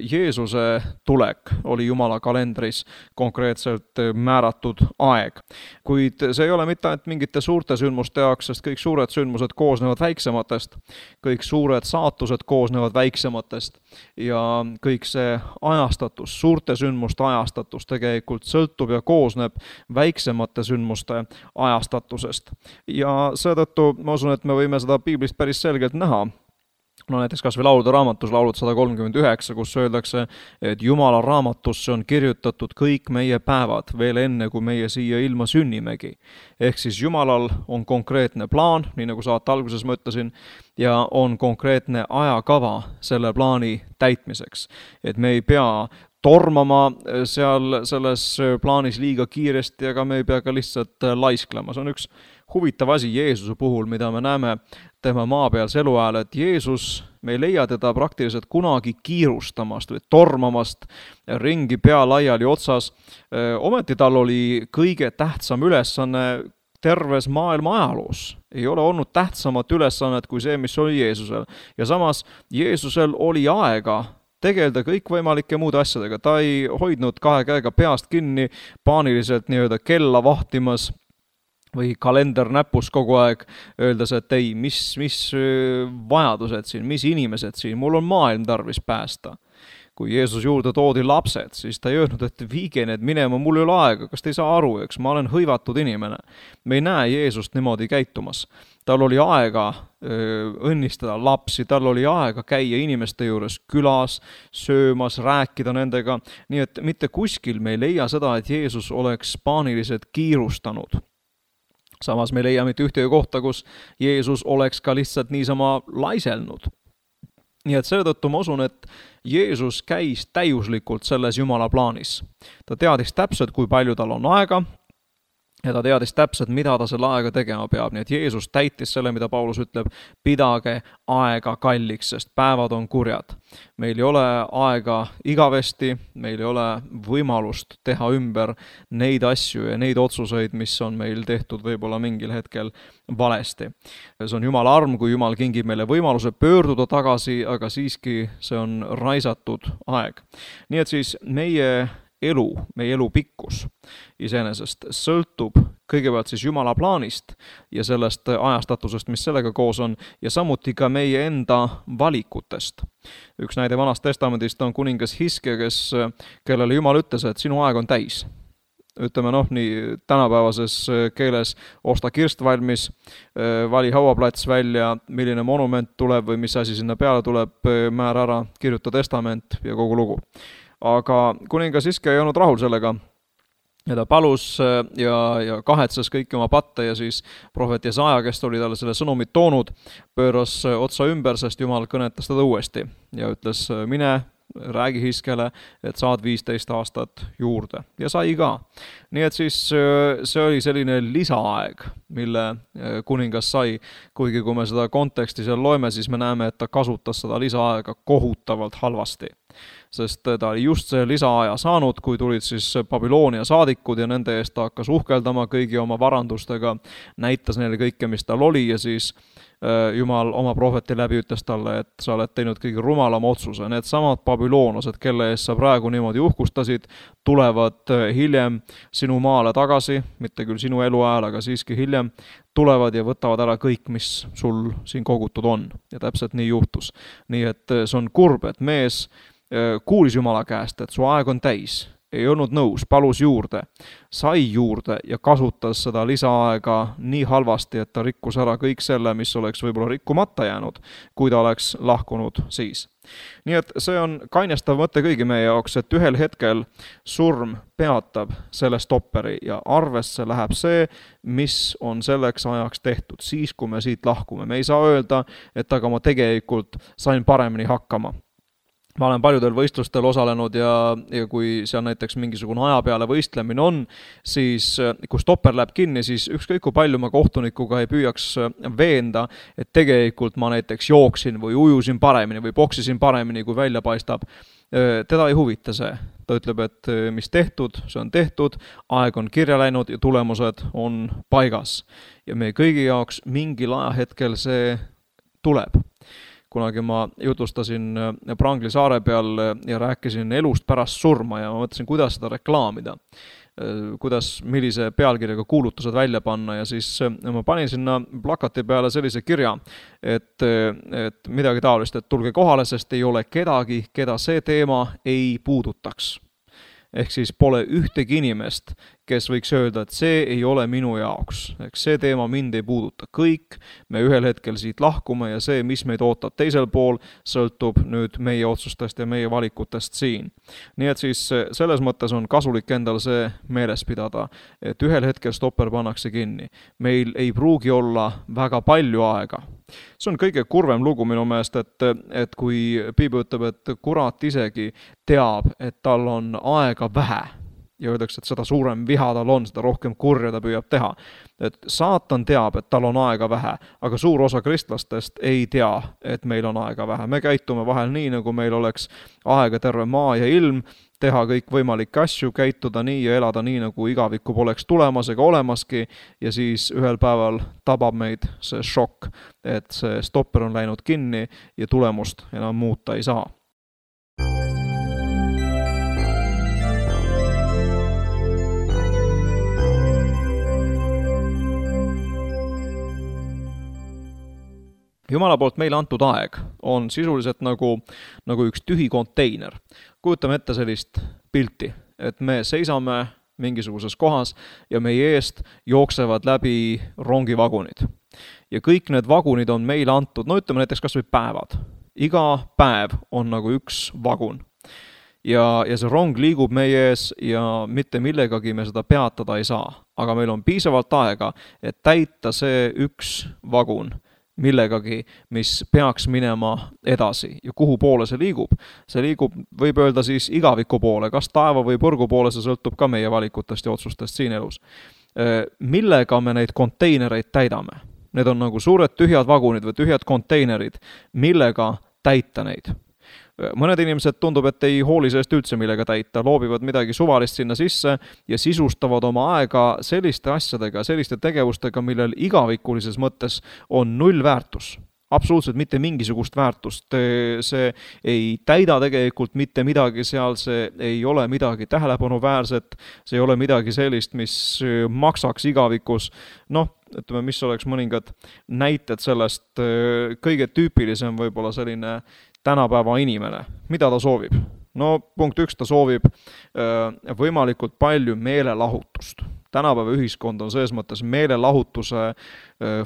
Jeesuse tulek oli Jumala kalendris konkreetselt määratud aeg. Kuid see ei ole mitte ainult mingite suurte sündmuste jaoks, sest kõik suured sündmused koosnevad väiksematest, kõik suured saatused koosnevad väiksematest ja kõik see ajastatus, suurte sündmuste ajastatus tegelikult sõltub ja koosneb väiksemate sündmuste ajastatusest. Ja seetõttu ma usun, et me võime seda piiblist päris selgelt näha. No näiteks kas või laulude raamatus, laulud 139, kus öeldakse, et Jumala raamatusse on kirjutatud kõik meie päevad veel enne, kui meie siia ilma sünnimegi. Ehk siis Jumalal on konkreetne plaan, nii nagu saate alguses ma ütlesin, ja on konkreetne ajakava selle plaani täitmiseks. Et me ei pea tormama seal selles plaanis liiga kiiresti, aga me ei pea ka lihtsalt laisklema. See on üks huvitav asi Jeesuse puhul, mida me näeme tema maapealse elu ajal, et Jeesus, me ei leia teda praktiliselt kunagi kiirustamast või tormamast ringi pea laiali otsas. Ometi tal oli kõige tähtsam ülesanne terves maailma ajaloos. Ei ole olnud tähtsamat ülesannet kui see, mis oli Jeesusel. Ja samas Jeesusel oli aega tegeleda kõikvõimalike muude asjadega. Ta ei hoidnud kahe käega peast kinni, paaniliselt nii-öelda kella vahtimas või kalender näpus kogu aeg, öeldes, et ei, mis vajadused siin, mis inimesed siin, mul on maailm tarvis päästa. Kui Jeesus juurde toodi lapsed, siis ta ei öelnud, et viige need minema, mul ei ole aega, kas te ei saa aru, eks ma olen hõivatud inimene. Me ei näe Jeesust niimoodi käitumas. Tal oli aega õnnistada lapsi, tal oli aega käia inimeste juures külas, söömas, rääkida nendega. Nii et mitte kuskil me ei leia seda, et Jeesus oleks paaniliselt kiirustanud. Samas me ei leia mitte ühtegi kohta, kus Jeesus oleks ka lihtsalt niisama laiselnud. Nii et seetõttu ma usun, et Jeesus käis täiuslikult selles Jumala plaanis. Ta teadis täpselt, kui palju tal on aega, ja ta teadis täpselt, mida ta selle aega tegema peab. Nii et Jeesus täitis selle, mida Paulus ütleb, pidage aega kalliks, sest päevad on kurjad. Meil ei ole aega igavesti, meil ei ole võimalust teha ümber neid asju ja neid otsuseid, mis on meil tehtud võib-olla mingil hetkel valesti. See on Jumala arm, kui Jumal kingib meile võimaluse pöörduda tagasi, aga siiski see on raisatud aeg. Nii et siis meie elu pikkus iseenesest sõltub kõigepealt siis Jumala plaanist ja sellest ajastatusest, mis sellega koos on, ja samuti ka meie enda valikutest. Üks näide Vanast Testamendist on kuningas Hiske, kellele Jumal ütles, et sinu aeg on täis. Ütleme nii tänapäevases keeles, osta kirst valmis, vali hauaplats välja, milline monument tuleb või mis asi sinna peale tuleb, määra ära, kirjuta testament ja kogu lugu. Aga kuningas Hiske ei olnud rahul sellega ja ta palus ja kahetses kõiki oma patte ja siis prohvet Jesaja, kes oli talle selle sõnumit toonud, pööras otsa ümber, sest Jumal kõnetas teda uuesti ja ütles, mine, räägi Hiskele, et saad 15 aastat juurde ja sai ka. Nii et siis see oli selline lisaaeg, mille kuningas sai, kuigi kui me seda konteksti seal loeme, siis me näeme, et ta kasutas seda lisaaega kohutavalt halvasti. Sest ta oli just see lisaaja saanud, kui tulid siis Babyloonia saadikud ja nende eest ta hakkas uhkeldama kõigi oma varandustega, näitas neile kõike, mis tal oli ja siis Jumal oma prohveti läbi ütles talle, et sa oled teinud kõige rumalama otsuse. Need samad babüloonlased, kelle eest sa praegu niimoodi uhkustasid, tulevad hiljem sinu maale tagasi, mitte küll sinu eluajal, aga siiski hiljem, tulevad ja võtavad ära kõik, mis sul siin kogutud on. Ja täpselt nii juhtus. Nii et see on kurb, et mees kuulis Jumala käest, et su aeg on täis, ei olnud nõus, palus juurde, sai juurde ja kasutas seda lisaaega nii halvasti, et ta rikkus ära kõik selle, mis oleks võib-olla rikkumata jäänud, kui ta oleks lahkunud siis. Nii et see on kainestav mõte kõigi meie jaoks, et ühel hetkel surm peatab selle stopperi ja arvesse läheb see, mis on selleks ajaks tehtud, siis kui me siit lahkume. Me ei saa öelda, et aga ma tegelikult sain paremini hakkama. Ma olen paljudel võistlustel osalenud ja kui seal näiteks mingisugune aja peale võistlemine on, siis kui stopper läheb kinni, siis ükskõik kui palju ma kohtunikuga ei püüaks veenda, et tegelikult ma näiteks jooksin või ujusin paremini või boksisin paremini, kui välja paistab. Teda ei huvita see. Ta ütleb, et mis tehtud, see on tehtud, aeg on kirja läinud ja tulemused on paigas. Ja meie kõigi jaoks mingil ajahetkel see tuleb. Kunagi ma jutustasin Prangli saare peal ja rääkisin elust pärast surma ja ma mõtlesin, kuidas seda reklaamida, millise pealkirjaga kuulutused välja panna ja siis ma panin sinna plakati peale sellise kirja, et midagi taolist, et tulge kohale, sest ei ole kedagi, keda see teema ei puudutaks. Ehk siis pole ühtegi inimest, kes võiks öelda, et see ei ole minu jaoks. Ehk see teema mind ei puuduta. Kõik me ühel hetkel siit lahkume ja see, mis meid ootab teisel pool, sõltub nüüd meie otsustest ja meie valikutest siin. Nii et siis selles mõttes on kasulik endal see meeles pidada, et ühel hetkel stopper pannakse kinni. Meil ei pruugi olla väga palju aega. See on kõige kurvem lugu minu meelest, et kui Piibel ütleb, et kurat isegi teab, et tal on aega vähe ja öeldakse, et seda suurem viha tal on, seda rohkem kurja ta püüab teha. Et saatan teab, et tal on aega vähe, aga suur osa kristlastest ei tea, et meil on aega vähe. Me käitume vahel nii, nagu meil oleks aega terve maa ja ilm, teha kõik võimalikke asju, käituda nii ja elada nii, nagu igavikku poleks tulemas ega olemaski ja siis ühel päeval tabab meid see šokk, et see stopper on läinud kinni ja tulemust enam muuta ei saa. Jumala poolt meile antud aeg on sisuliselt nagu üks tühi konteiner. Kujutame ette sellist pilti, et me seisame mingisuguses kohas ja meie eest jooksevad läbi rongivagunid. Ja kõik need vagunid on meile antud, ütleme näiteks kas või päevad. Iga päev on nagu üks vagun. Ja see rong liigub meie ees ja mitte millegagi me seda peatada ei saa. Aga meil on piisavalt aega, et täita see üks vagun millegagi, mis peaks minema edasi ja kuhu poole see liigub. See liigub, võib öelda siis igaviku poole, kas taeva või põrgu poole, see sõltub ka meie valikutest ja otsustest siin elus. Millega me neid konteinereid täidame? Need on nagu suured tühjad vagunid või tühjad konteinerid, millega täita neid. Mõned inimesed tundub, et ei hooli sellest üldse millega täita, loobivad midagi suvalist sinna sisse ja sisustavad oma aega selliste asjadega, selliste tegevustega, millel igavikulises mõttes on null väärtus. Absoluutselt mitte mingisugust väärtust. See ei täida tegelikult mitte midagi seal, see ei ole midagi tähelepanuväärset, see ei ole midagi sellist, mis maksaks igavikus. Ütleme, mis oleks mõningad näited sellest, kõige tüüpilisem võib-olla selline tänapäeva inimene. Mida ta soovib? Punkt 1, ta soovib võimalikult palju meelelahutust. Tänapäeva ühiskond on selles mõttes meelelahutuse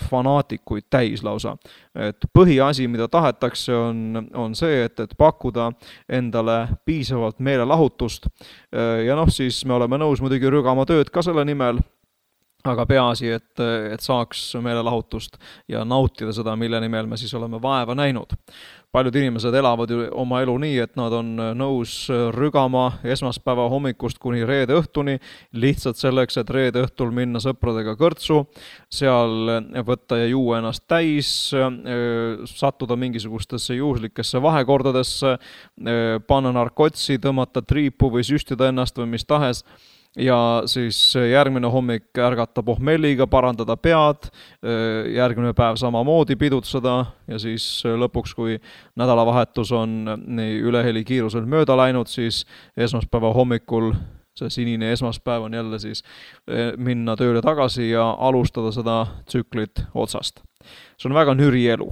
fanaatikuid täis lausa. Et põhiasi, mida tahetakse, on see, et pakkuda endale piisavalt meelelahutust. Ja siis me oleme nõus muidugi rügama tööd ka selle nimel, aga peaasi, et saaks meelelahutust ja nautida seda, mille nimel me siis oleme vaeva näinud. Paljud inimesed elavad ju oma elu nii, et nad on nõus rügama esmaspäeva hommikust kuni reede õhtuni, lihtsalt selleks, et reede õhtul minna sõpradega kõrtsu, seal võtta ja juua ennast täis, sattuda mingisugustesse juhuslikesse vahekordadesse, panna narkotsi, tõmmata triipu või süstida ennast või mis tahes, ja siis järgmine hommik ärgata pohmelliga, parandada pead, järgmine päev samamoodi pidutseda ja siis lõpuks, kui nädalavahetus on üleheli kiirusel mööda läinud, siis esmaspäeva hommikul see sinine esmaspäev on jälle siis minna tööle tagasi ja alustada seda tsüklit otsast. See on väga nüri elu,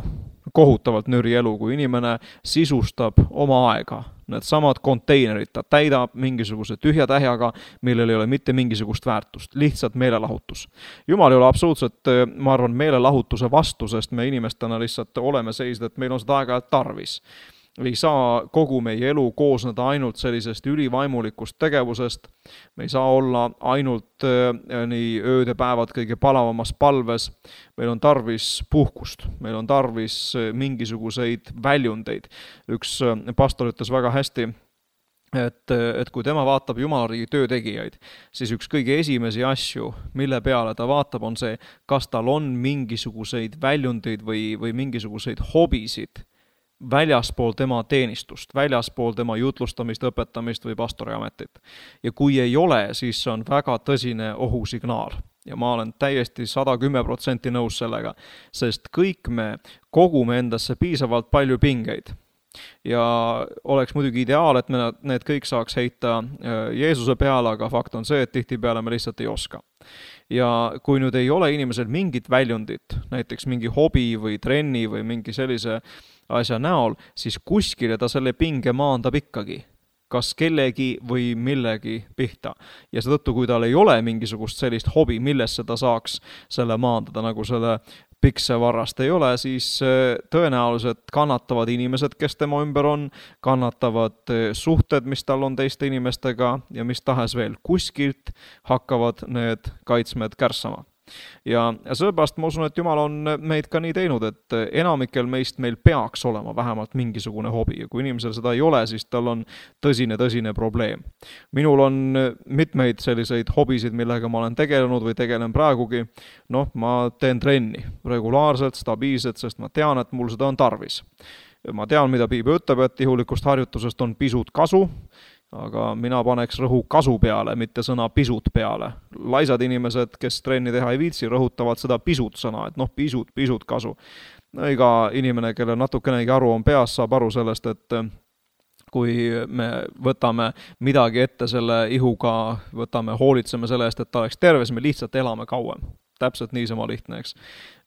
kohutavalt nüri elu, kui inimene sisustab oma aega. Need samad konteinerid ta täidab mingisuguse tühja tähjaga, millel ei ole mitte mingisugust väärtust, lihtsalt meelelahutus. Jumal ei ole absoluutselt, ma arvan, meelelahutuse vastu, sest me inimestena lihtsalt oleme seisnud, et meil on seda aega tarvis. Ei saa kogu meie elu koosneda ainult sellisest ülivaimulikust tegevusest. Me ei saa olla ainult nii ööd ja päevad kõige palavamas palves. Meil on tarvis puhkust, meil on tarvis mingisuguseid väljundeid. Üks pastor ütles väga hästi, et kui tema vaatab Jumalariigi töötegijaid, siis üks kõige esimesi asju, mille peale ta vaatab, on see, kas tal on mingisuguseid väljundeid või mingisuguseid hobisid väljaspool tema teenistust, väljaspool tema jutlustamist, õpetamist või pastoriametit. Ja kui ei ole, siis on väga tõsine ohusignaal. Ja ma olen täiesti 110% nõus sellega, sest kõik me kogume endasse piisavalt palju pingeid. Ja oleks muidugi ideaal, et me need kõik saaks heita Jeesuse peale, aga fakt on see, et tihtipeale me lihtsalt ei oska. Ja kui nüüd ei ole inimesel mingit väljundit, näiteks mingi hobi või trenni või mingi sellise asja näol, siis kuskile ta selle pinge maandab ikkagi, kas kellegi või millegi pihta. Ja seetõttu, kui tal ei ole mingisugust sellist hobi, millesse ta saaks selle maandada, nagu selle piksevarrast ei ole, siis tõenäoliselt kannatavad inimesed, kes tema ümber on, kannatavad suhted, mis tal on teiste inimestega ja mis tahes veel. Kuskilt hakkavad need kaitsmed kärssama. Ja sellepärast ma usun, et Jumal on meid ka nii teinud, et enamikel meist meil peaks olema vähemalt mingisugune hobi ja kui inimesel seda ei ole, siis tal on tõsine probleem. Minul on mitmeid selliseid hobisid, millega ma olen tegelenud või tegelen praegugi. Ma teen trenni regulaarselt, stabiilselt, sest ma tean, et mul seda on tarvis. Ma tean, mida Piibel ütleb, et ihulikust harjutusest on pisut kasu, aga mina paneks rõhu kasu peale, mitte sõna pisut peale. Laisad inimesed, kes trenni teha ei viitsi, rõhutavad seda pisut sõna, et pisut kasu. Iga inimene, kelle natukenegi aru on peas, saab aru sellest, et kui me võtame midagi ette selle ihuga, hoolitseme selle eest, et ta oleks terves, me lihtsalt elame kauem. Täpselt niisama lihtne, eks.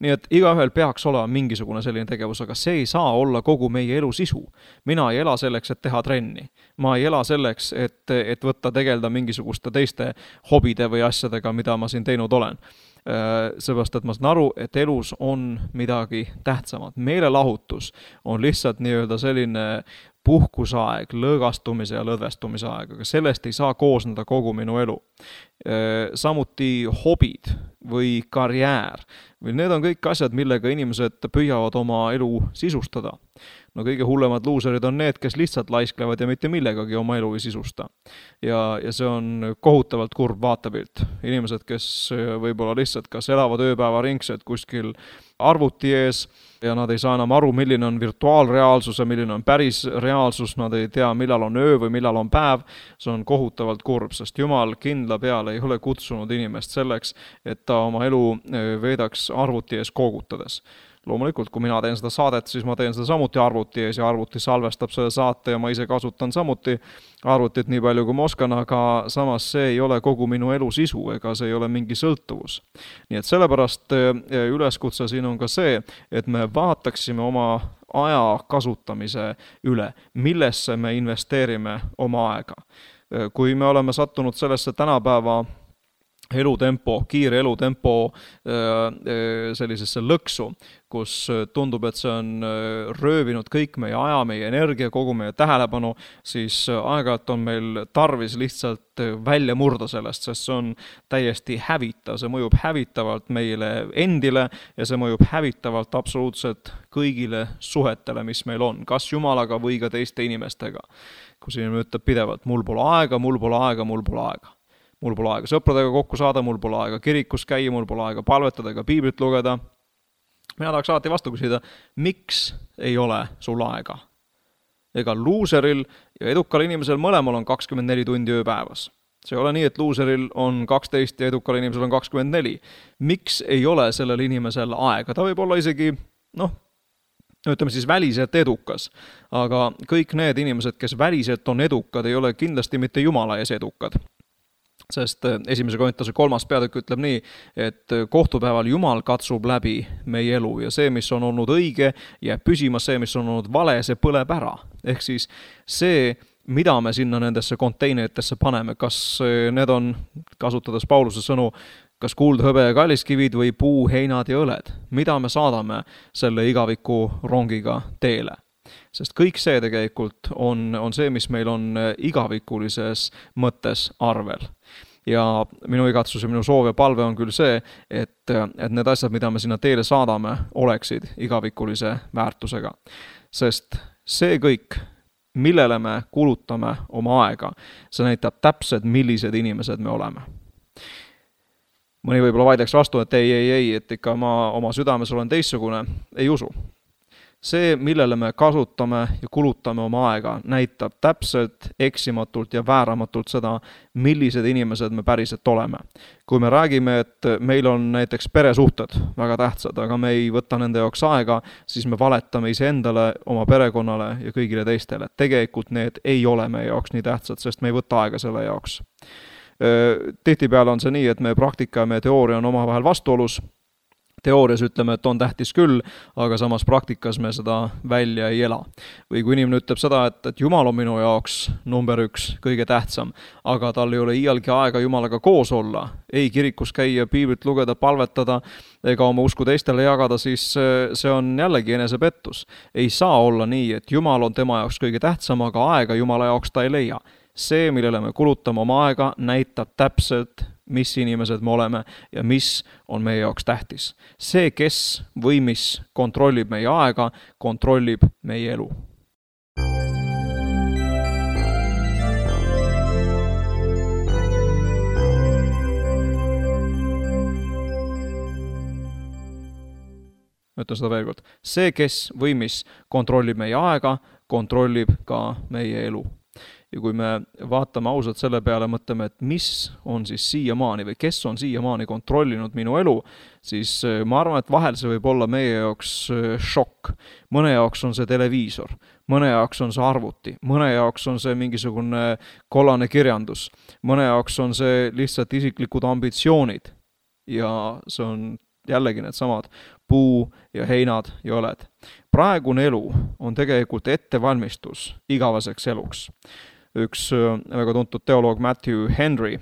Nii et igaühel peaks olema mingisugune selline tegevus, aga see ei saa olla kogu meie elu sisu. Mina ei ela selleks, et teha trenni. Ma ei ela selleks, et võtta tegelda mingisuguste teiste hobide või asjadega, mida ma siin teinud olen. Seepärast, et ma saan aru, et elus on midagi tähtsamat. Meelelahutus on lihtsalt nii-öelda selline puhkusaeg, lõõgastumise ja lõdvestumise aeg, aga sellest ei saa koosneda kogu minu elu. Samuti hobid või karjäär. Need on kõik asjad, millega inimesed püüavad oma elu sisustada. Kõige hullemad luuserid on need, kes lihtsalt laisklevad ja mitte millegagi oma elu ei sisusta. Ja see on kohutavalt kurb vaatepilt. Inimesed, kes võib-olla lihtsalt kas elavad ööpäeva ringsed kuskil arvuti ees ja nad ei saa enam aru, milline on virtuaalreaalsus ja milline on päris reaalsus, nad ei tea, millal on öö või millal on päev. See on kohutavalt kurb, sest Jumal kindla peale ei ole kutsunud inimest selleks, et ta oma elu veedaks arvuti ees koogutades. Loomulikult, kui mina teen seda saadet, siis ma teen seda samuti arvuti ees ja arvuti salvestab selle saate ja ma ise kasutan samuti arvutit nii palju, kui ma oskan, aga samas see ei ole kogu minu elu sisu ega see ei ole mingi sõltuvus. Nii et sellepärast üleskutse siin on ka see, et me vaataksime oma aja kasutamise üle, millesse me investeerime oma aega. Kui me oleme sattunud sellesse tänapäeva kiire elutempo sellisesse lõksu, kus tundub, et see on röövinud kõik meie aja, meie energia, kogu meie tähelepanu, siis aeg-ajalt on meil tarvis lihtsalt välja murda sellest, sest see on täiesti hävitav, see mõjub hävitavalt meile endile ja see mõjub hävitavalt absoluutselt kõigile suhetele, mis meil on, kas Jumalaga või ka teiste inimestega. Kus inimene ütleb pidevalt, mul pole aega, mul pole aega, mul pole aega. Mul pole aega sõpradega kokku saada, mul pole aega kirikus käia, mul pole aega palvetada ega piiblit lugeda. Mina tahaks alati vastu küsida, miks ei ole sul aega? Ega luuseril ja edukal inimesel mõlemal on 24 tundi ööpäevas. See ei ole nii, et luuseril on 12 ja edukal inimesel on 24. Miks ei ole sellel inimesel aega? Ta võib olla isegi, ütleme siis väliselt edukas, aga kõik need inimesed, kes väliselt on edukad, ei ole kindlasti mitte Jumala ees edukad. Sest esimese Korintuse 3. peatükk ütleb nii, et kohtupäeval Jumal katsub läbi meie elu ja see, mis on olnud õige, jääb püsima, see, mis on olnud vale, see põleb ära. Ehk siis see, mida me sinna nendesse konteineritesse paneme, kas need on, kasutades Pauluse sõnu, kas kuld, hõbe ja kalliskivid või puu, heinad ja õled, mida me saadame selle igaviku rongiga teele. Sest kõik see tegelikult on see, mis meil on igavikulises mõttes arvel. Ja minu igatsus ja minu soov ja palve on küll see, et need asjad, mida me sinna teele saadame, oleksid igavikulise väärtusega. Sest see kõik, millele me kulutame oma aega, see näitab täpselt, millised inimesed me oleme. Mõni võib-olla vaidleks vastu, et ei, et ikka ma oma südames olen teistsugune, ei usu. See, millele me kasutame ja kulutame oma aega, näitab täpselt, eksimatult ja vääramatult seda, millised inimesed me päriselt oleme. Kui me räägime, et meil on näiteks peresuhted väga tähtsad, aga me ei võta nende jaoks aega, siis me valetame iseendale, oma perekonnale ja kõigile teistele. Tegelikult need ei ole meie jaoks nii tähtsad, sest me ei võta aega selle jaoks. Tihtipeale on see nii, et meie praktika ja meie teooria on omavahel vastuolus. Teoorias ütleme, et on tähtis küll, aga samas praktikas me seda välja ei ela. Või kui inimene ütleb seda, et Jumal on minu jaoks number 1, kõige tähtsam, aga tal ei ole iialgi aega Jumalaga koos olla, ei kirikus käia, piiblit lugeda, palvetada ega oma usku teistele jagada, siis see on jällegi enesepettus. Ei saa olla nii, et Jumal on tema jaoks kõige tähtsam, aga aega Jumala jaoks ta ei leia. See, millele me kulutame oma aega, näitab täpselt, mis inimesed me oleme ja mis on meie jaoks tähtis. See, kes või mis kontrollib meie aega, kontrollib meie elu. Ütlen seda veel kord. See, kes või mis kontrollib meie aega, kontrollib ka meie elu. Ja kui me vaatame ausalt selle peale, mõtleme, et mis on siis siiamaani või kes on siiamaani kontrollinud minu elu, siis ma arvan, et vahel see võib olla meie jaoks šokk. Mõne jaoks on see televiisor, mõne jaoks on see arvuti, mõne jaoks on see mingisugune kollane kirjandus, mõne jaoks on see lihtsalt isiklikud ambitsioonid ja see on jällegi need samad puu ja heinad ja õled. Praegune elu on tegelikult ettevalmistus igaveseks eluks. Üks väga tuntud teoloog Matthew Henry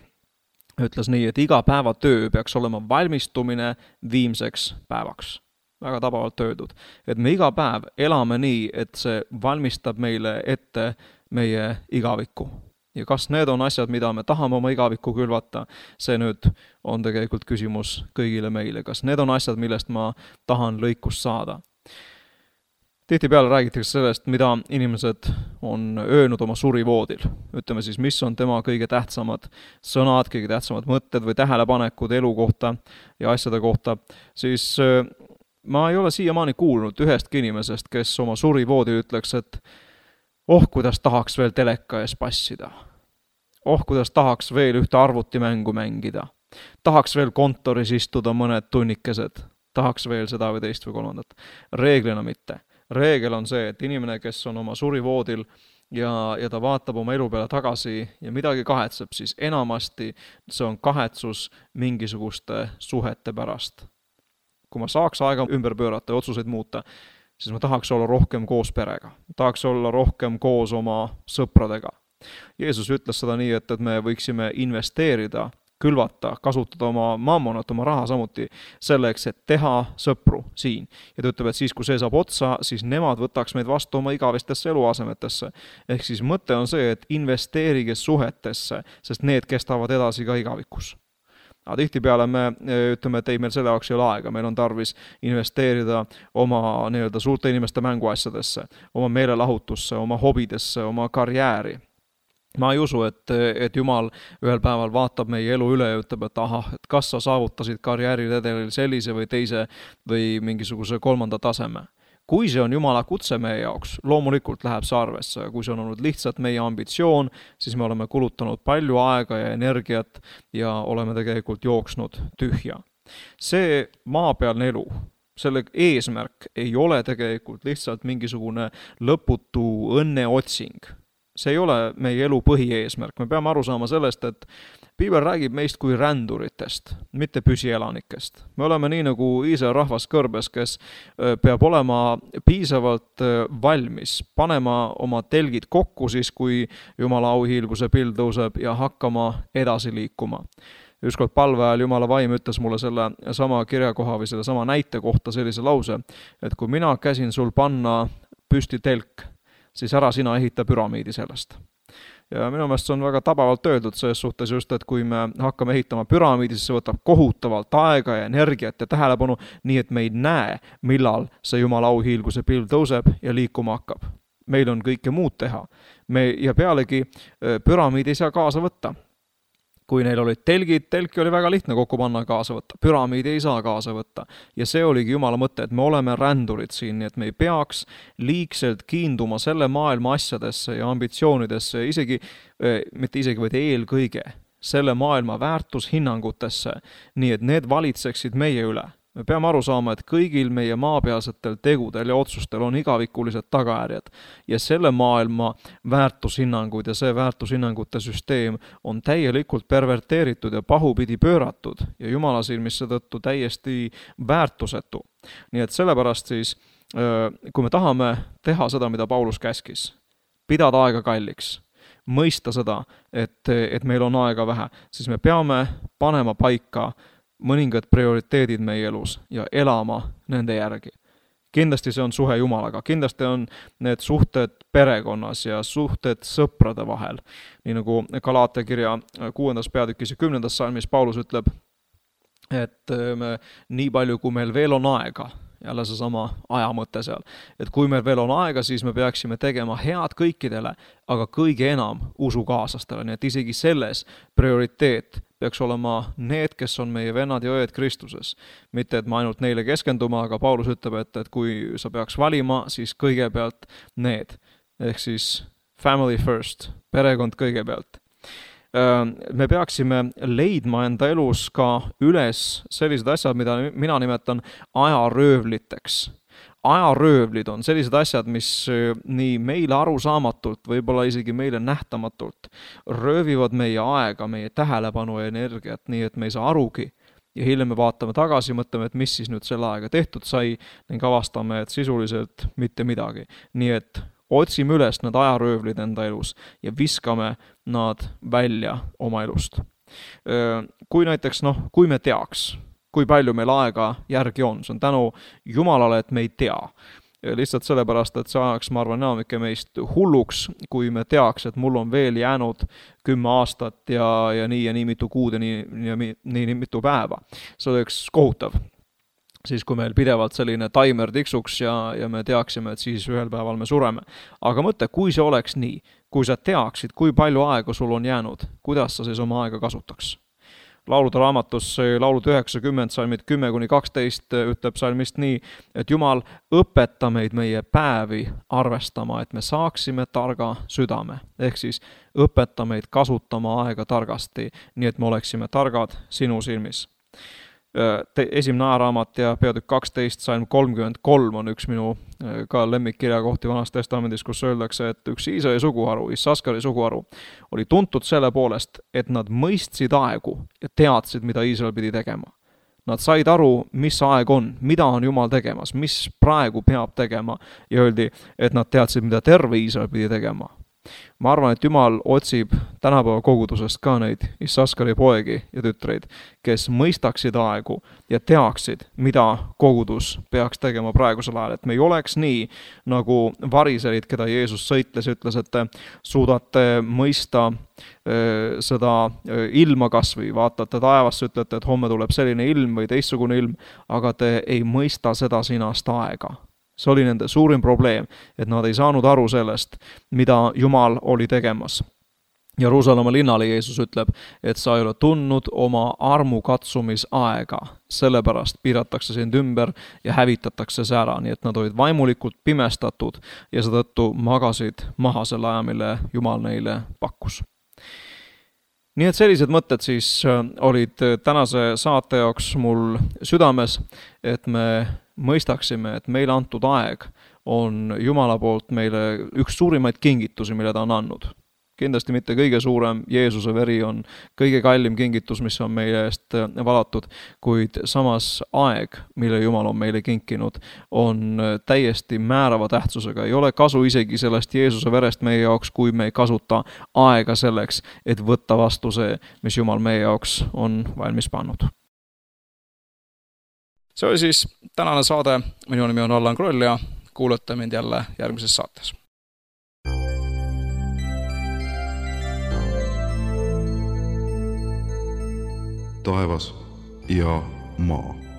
ütles nii, et iga päeva töö peaks olema valmistumine viimseks päevaks. Väga tabavalt öeldud. Et me iga päev elame nii, et see valmistab meile ette meie igavikku. Ja kas need on asjad, mida me tahame oma igavikku külvata, see nüüd on tegelikult küsimus kõigile meile. Kas need on asjad, millest ma tahan lõikust saada? Tihtipeale räägitakse sellest, mida inimesed on öelnud oma surivoodil. Ütleme siis, mis on tema kõige tähtsamad sõnad, kõige tähtsamad mõtted või tähelepanekud elu kohta ja asjade kohta. Siis ma ei ole siiamaani kuulnud ühestki inimesest, kes oma surivoodil ütleks, et kuidas tahaks veel teleka ees passida. Kuidas tahaks veel ühte arvutimängu mängida. Tahaks veel kontoris istuda mõned tunnikesed. Tahaks veel seda või teist või kolmandat. Reeglina mitte. Reegel on see, et inimene, kes on oma surivoodil ja ta vaatab oma elu peale tagasi ja midagi kahetseb, siis enamasti see on kahetsus mingisuguste suhete pärast. Kui ma saaks aega ümber pöörata ja otsuseid muuta, siis ma tahaks olla rohkem koos perega. Tahaks olla rohkem koos oma sõpradega. Jeesus ütles seda nii, et me võiksime investeerida, külvata, kasutada oma mammonat, oma raha samuti selleks, et teha sõpru siin. Ja ta ütleb, et siis, kui see saab otsa, siis nemad võtaks meid vastu oma igavestesse eluasemetesse. Ehk siis mõte on see, et investeerige suhetesse, sest need kestavad edasi ka igavikus. Aga tihtipeale me ütleme, et ei, meil selle jaoks ei ole aega, meil on tarvis investeerida oma suurte inimeste mänguasjadesse, oma meelelahutusse, oma hobidesse, oma karjääri. Ma ei usu, et Jumal ühel päeval vaatab meie elu üle ja ütleb, et kas sa saavutasid karjääriredelil sellise või teise või mingisuguse kolmanda taseme. Kui see on Jumala kutse meie jaoks, loomulikult läheb see arvesse. Kui see on olnud lihtsalt meie ambitsioon, siis me oleme kulutanud palju aega ja energiat ja oleme tegelikult jooksnud tühja. See maapealne elu, selle eesmärk ei ole tegelikult lihtsalt mingisugune lõputu õnneotsing. See ei ole meie elu põhieesmärk. Me peame aru saama sellest, et Piibel räägib meist kui ränduritest, mitte püsielanikest. Me oleme nii nagu Iisraeli rahvas kõrbes, kes peab olema piisavalt valmis, panema oma telgid kokku siis, kui Jumala auhiilguse pild tõuseb ja hakkama edasi liikuma. Ükskord palve ajal Jumala vaim ütles mulle selle sama kirjakoha või selle sama näite kohta sellise lause, et kui mina käsin sul panna püsti telk, siis ära sina ehita püramiidi sellest. Ja minu meelest see on väga tabavalt öeldud selles suhtes just, et kui me hakkame ehitama püramiidi, siis see võtab kohutavalt aega ja energiat ja tähelepanu, nii et me ei näe, millal see Jumala auhiilguse pild tõuseb ja liikuma hakkab. Meil on kõike muud teha. Ja pealegi püramiidi ei saa kaasa võtta. Kui neil olid telgid, telki oli väga lihtne kokku panna kaasa võtta. Püramiidi ei saa kaasa võtta. Ja see oligi Jumala mõte, et me oleme rändurid siin, nii et me ei peaks liigselt kiinduma selle maailma asjadesse ja ambitsioonidesse, vaid eelkõige selle maailma väärtushinnangutesse, nii et need valitseksid meie üle. Me peame aru saama, et kõigil meie maapealsetel tegudel ja otsustel on igavikulised tagajärjed ja selle maailma väärtushinnangud ja see väärtushinnangute süsteem on täielikult perverteeritud ja pahupidi pööratud ja Jumala silmis seetõttu täiesti väärtusetu. Nii et sellepärast siis, kui me tahame teha seda, mida Paulus käskis, pidada aega kalliks, mõista seda, et meil on aega vähe, siis me peame panema paika mõningad prioriteedid meie elus ja elama nende järgi. Kindlasti see on suhe Jumalaga, kindlasti on need suhted perekonnas ja suhted sõprade vahel. Nii nagu Galaatia kirja 6. peatükis ja 10. salmis Paulus ütleb, et me nii palju, kui meil veel on aega, jälle see sama ajamõte seal, et kui meil veel on aega, siis me peaksime tegema head kõikidele, aga kõige enam usukaaslastele, nii et isegi selles prioriteet peaks olema need, kes on meie vennad ja õed Kristuses. Mitte, et me ainult neile keskenduma, aga Paulus ütleb, et kui sa peaks valima, siis kõigepealt need. Ehk siis family first, perekond kõigepealt. Me peaksime leidma enda elus ka üles sellised asjad, mida mina nimetan ajaröövliteks. Ajaröövlid on sellised asjad, mis nii meile arusaamatult, võib-olla isegi meile nähtamatult, röövivad meie aega, meie tähelepanu ja energiat, nii et me ei saa arugi. Ja hiljem me vaatame tagasi, mõtleme, et mis siis nüüd selle aega tehtud sai, ning avastame, et sisuliselt mitte midagi. Nii et otsime üles need ajaröövlid enda elus ja viskame nad välja oma elust. Kui näiteks, kui me teaks, kui palju meil aega järgi on. See on tänu Jumalale, et me ei tea. Lihtsalt sellepärast, et see ajaks, ma arvan, enamike meist hulluks, kui me teaks, et mul on veel jäänud 10 aastat ja nii mitu kuud ja nii mitu päeva. See oleks kohutav. Siis kui meil pidevalt selline timer tiksuks ja me teaksime, et siis ühel päeval me sureme. Aga mõtle, kui see oleks nii, kui sa teaksid, kui palju aega sul on jäänud, kuidas sa siis oma aega kasutaks? Laulude raamatus laulud 90, salmid 10-12 ütleb salmist nii, et Jumal õpeta meid meie päevi arvestama, et me saaksime targa südame. Ehk siis õpeta meid kasutama aega targasti, nii et me oleksime targad sinu silmis. Esimene ajaraamat ja peatükk 12, salm 33 on üks minu ka lemmikkirja kohti Vanas Testamendis, kus öeldakse, et üks Iisraeli suguharu, Issaskari suguharu, oli tuntud selle poolest, et nad mõistsid aegu ja teadsid, mida Iisrael pidi tegema. Nad said aru, mis aeg on, mida on Jumal tegemas, mis praegu peab tegema ja öeldi, et nad teadsid, mida terve Iisrael pidi tegema. Ma arvan, et Jumal otsib tänapäeva kogudusest ka neid Issaskari poegi ja tütreid, kes mõistaksid aegu ja teaksid, mida kogudus peaks tegema praegusel ajal. Et me ei oleks nii, nagu variserid, keda Jeesus sõitles, ütles, et te suudate mõista seda ilma kasvõi, vaatate taevasse, ütlete, et homme tuleb selline ilm või teistsugune ilm, aga te ei mõista seda sinast aega. See oli nende suurim probleem, et nad ei saanud aru sellest, mida Jumal oli tegemas. Jeruusalemma linnale Jeesus ütleb, et sa ei ole tundnud oma armu katsumisaega, sellepärast piiratakse sind ümber ja hävitatakse see ära, nii et nad olid vaimulikult pimestatud ja seetõttu magasid maha selle aja, mille Jumal neile pakkus. nii et sellised mõtted siis olid tänase saate jaoks mul südames, et me mõistaksime, et meile antud aeg on Jumala poolt meile üks suurimaid kingitusi, mille ta on andnud. Kindlasti mitte kõige suurem, Jeesuse veri on kõige kallim kingitus, mis on meie eest valatud, kuid samas aeg, mille Jumal on meile kinkinud, on täiesti määrava tähtsusega. Ei ole kasu isegi sellest Jeesuse verest meie jaoks, kui me ei kasuta aega selleks, et võtta vastu see, mis Jumal meie jaoks on valmis pannud. See oli siis tänane saade. Minu nimi on Allan Kroll ja kuulate mind jälle järgmises saates. Taevas ja maa.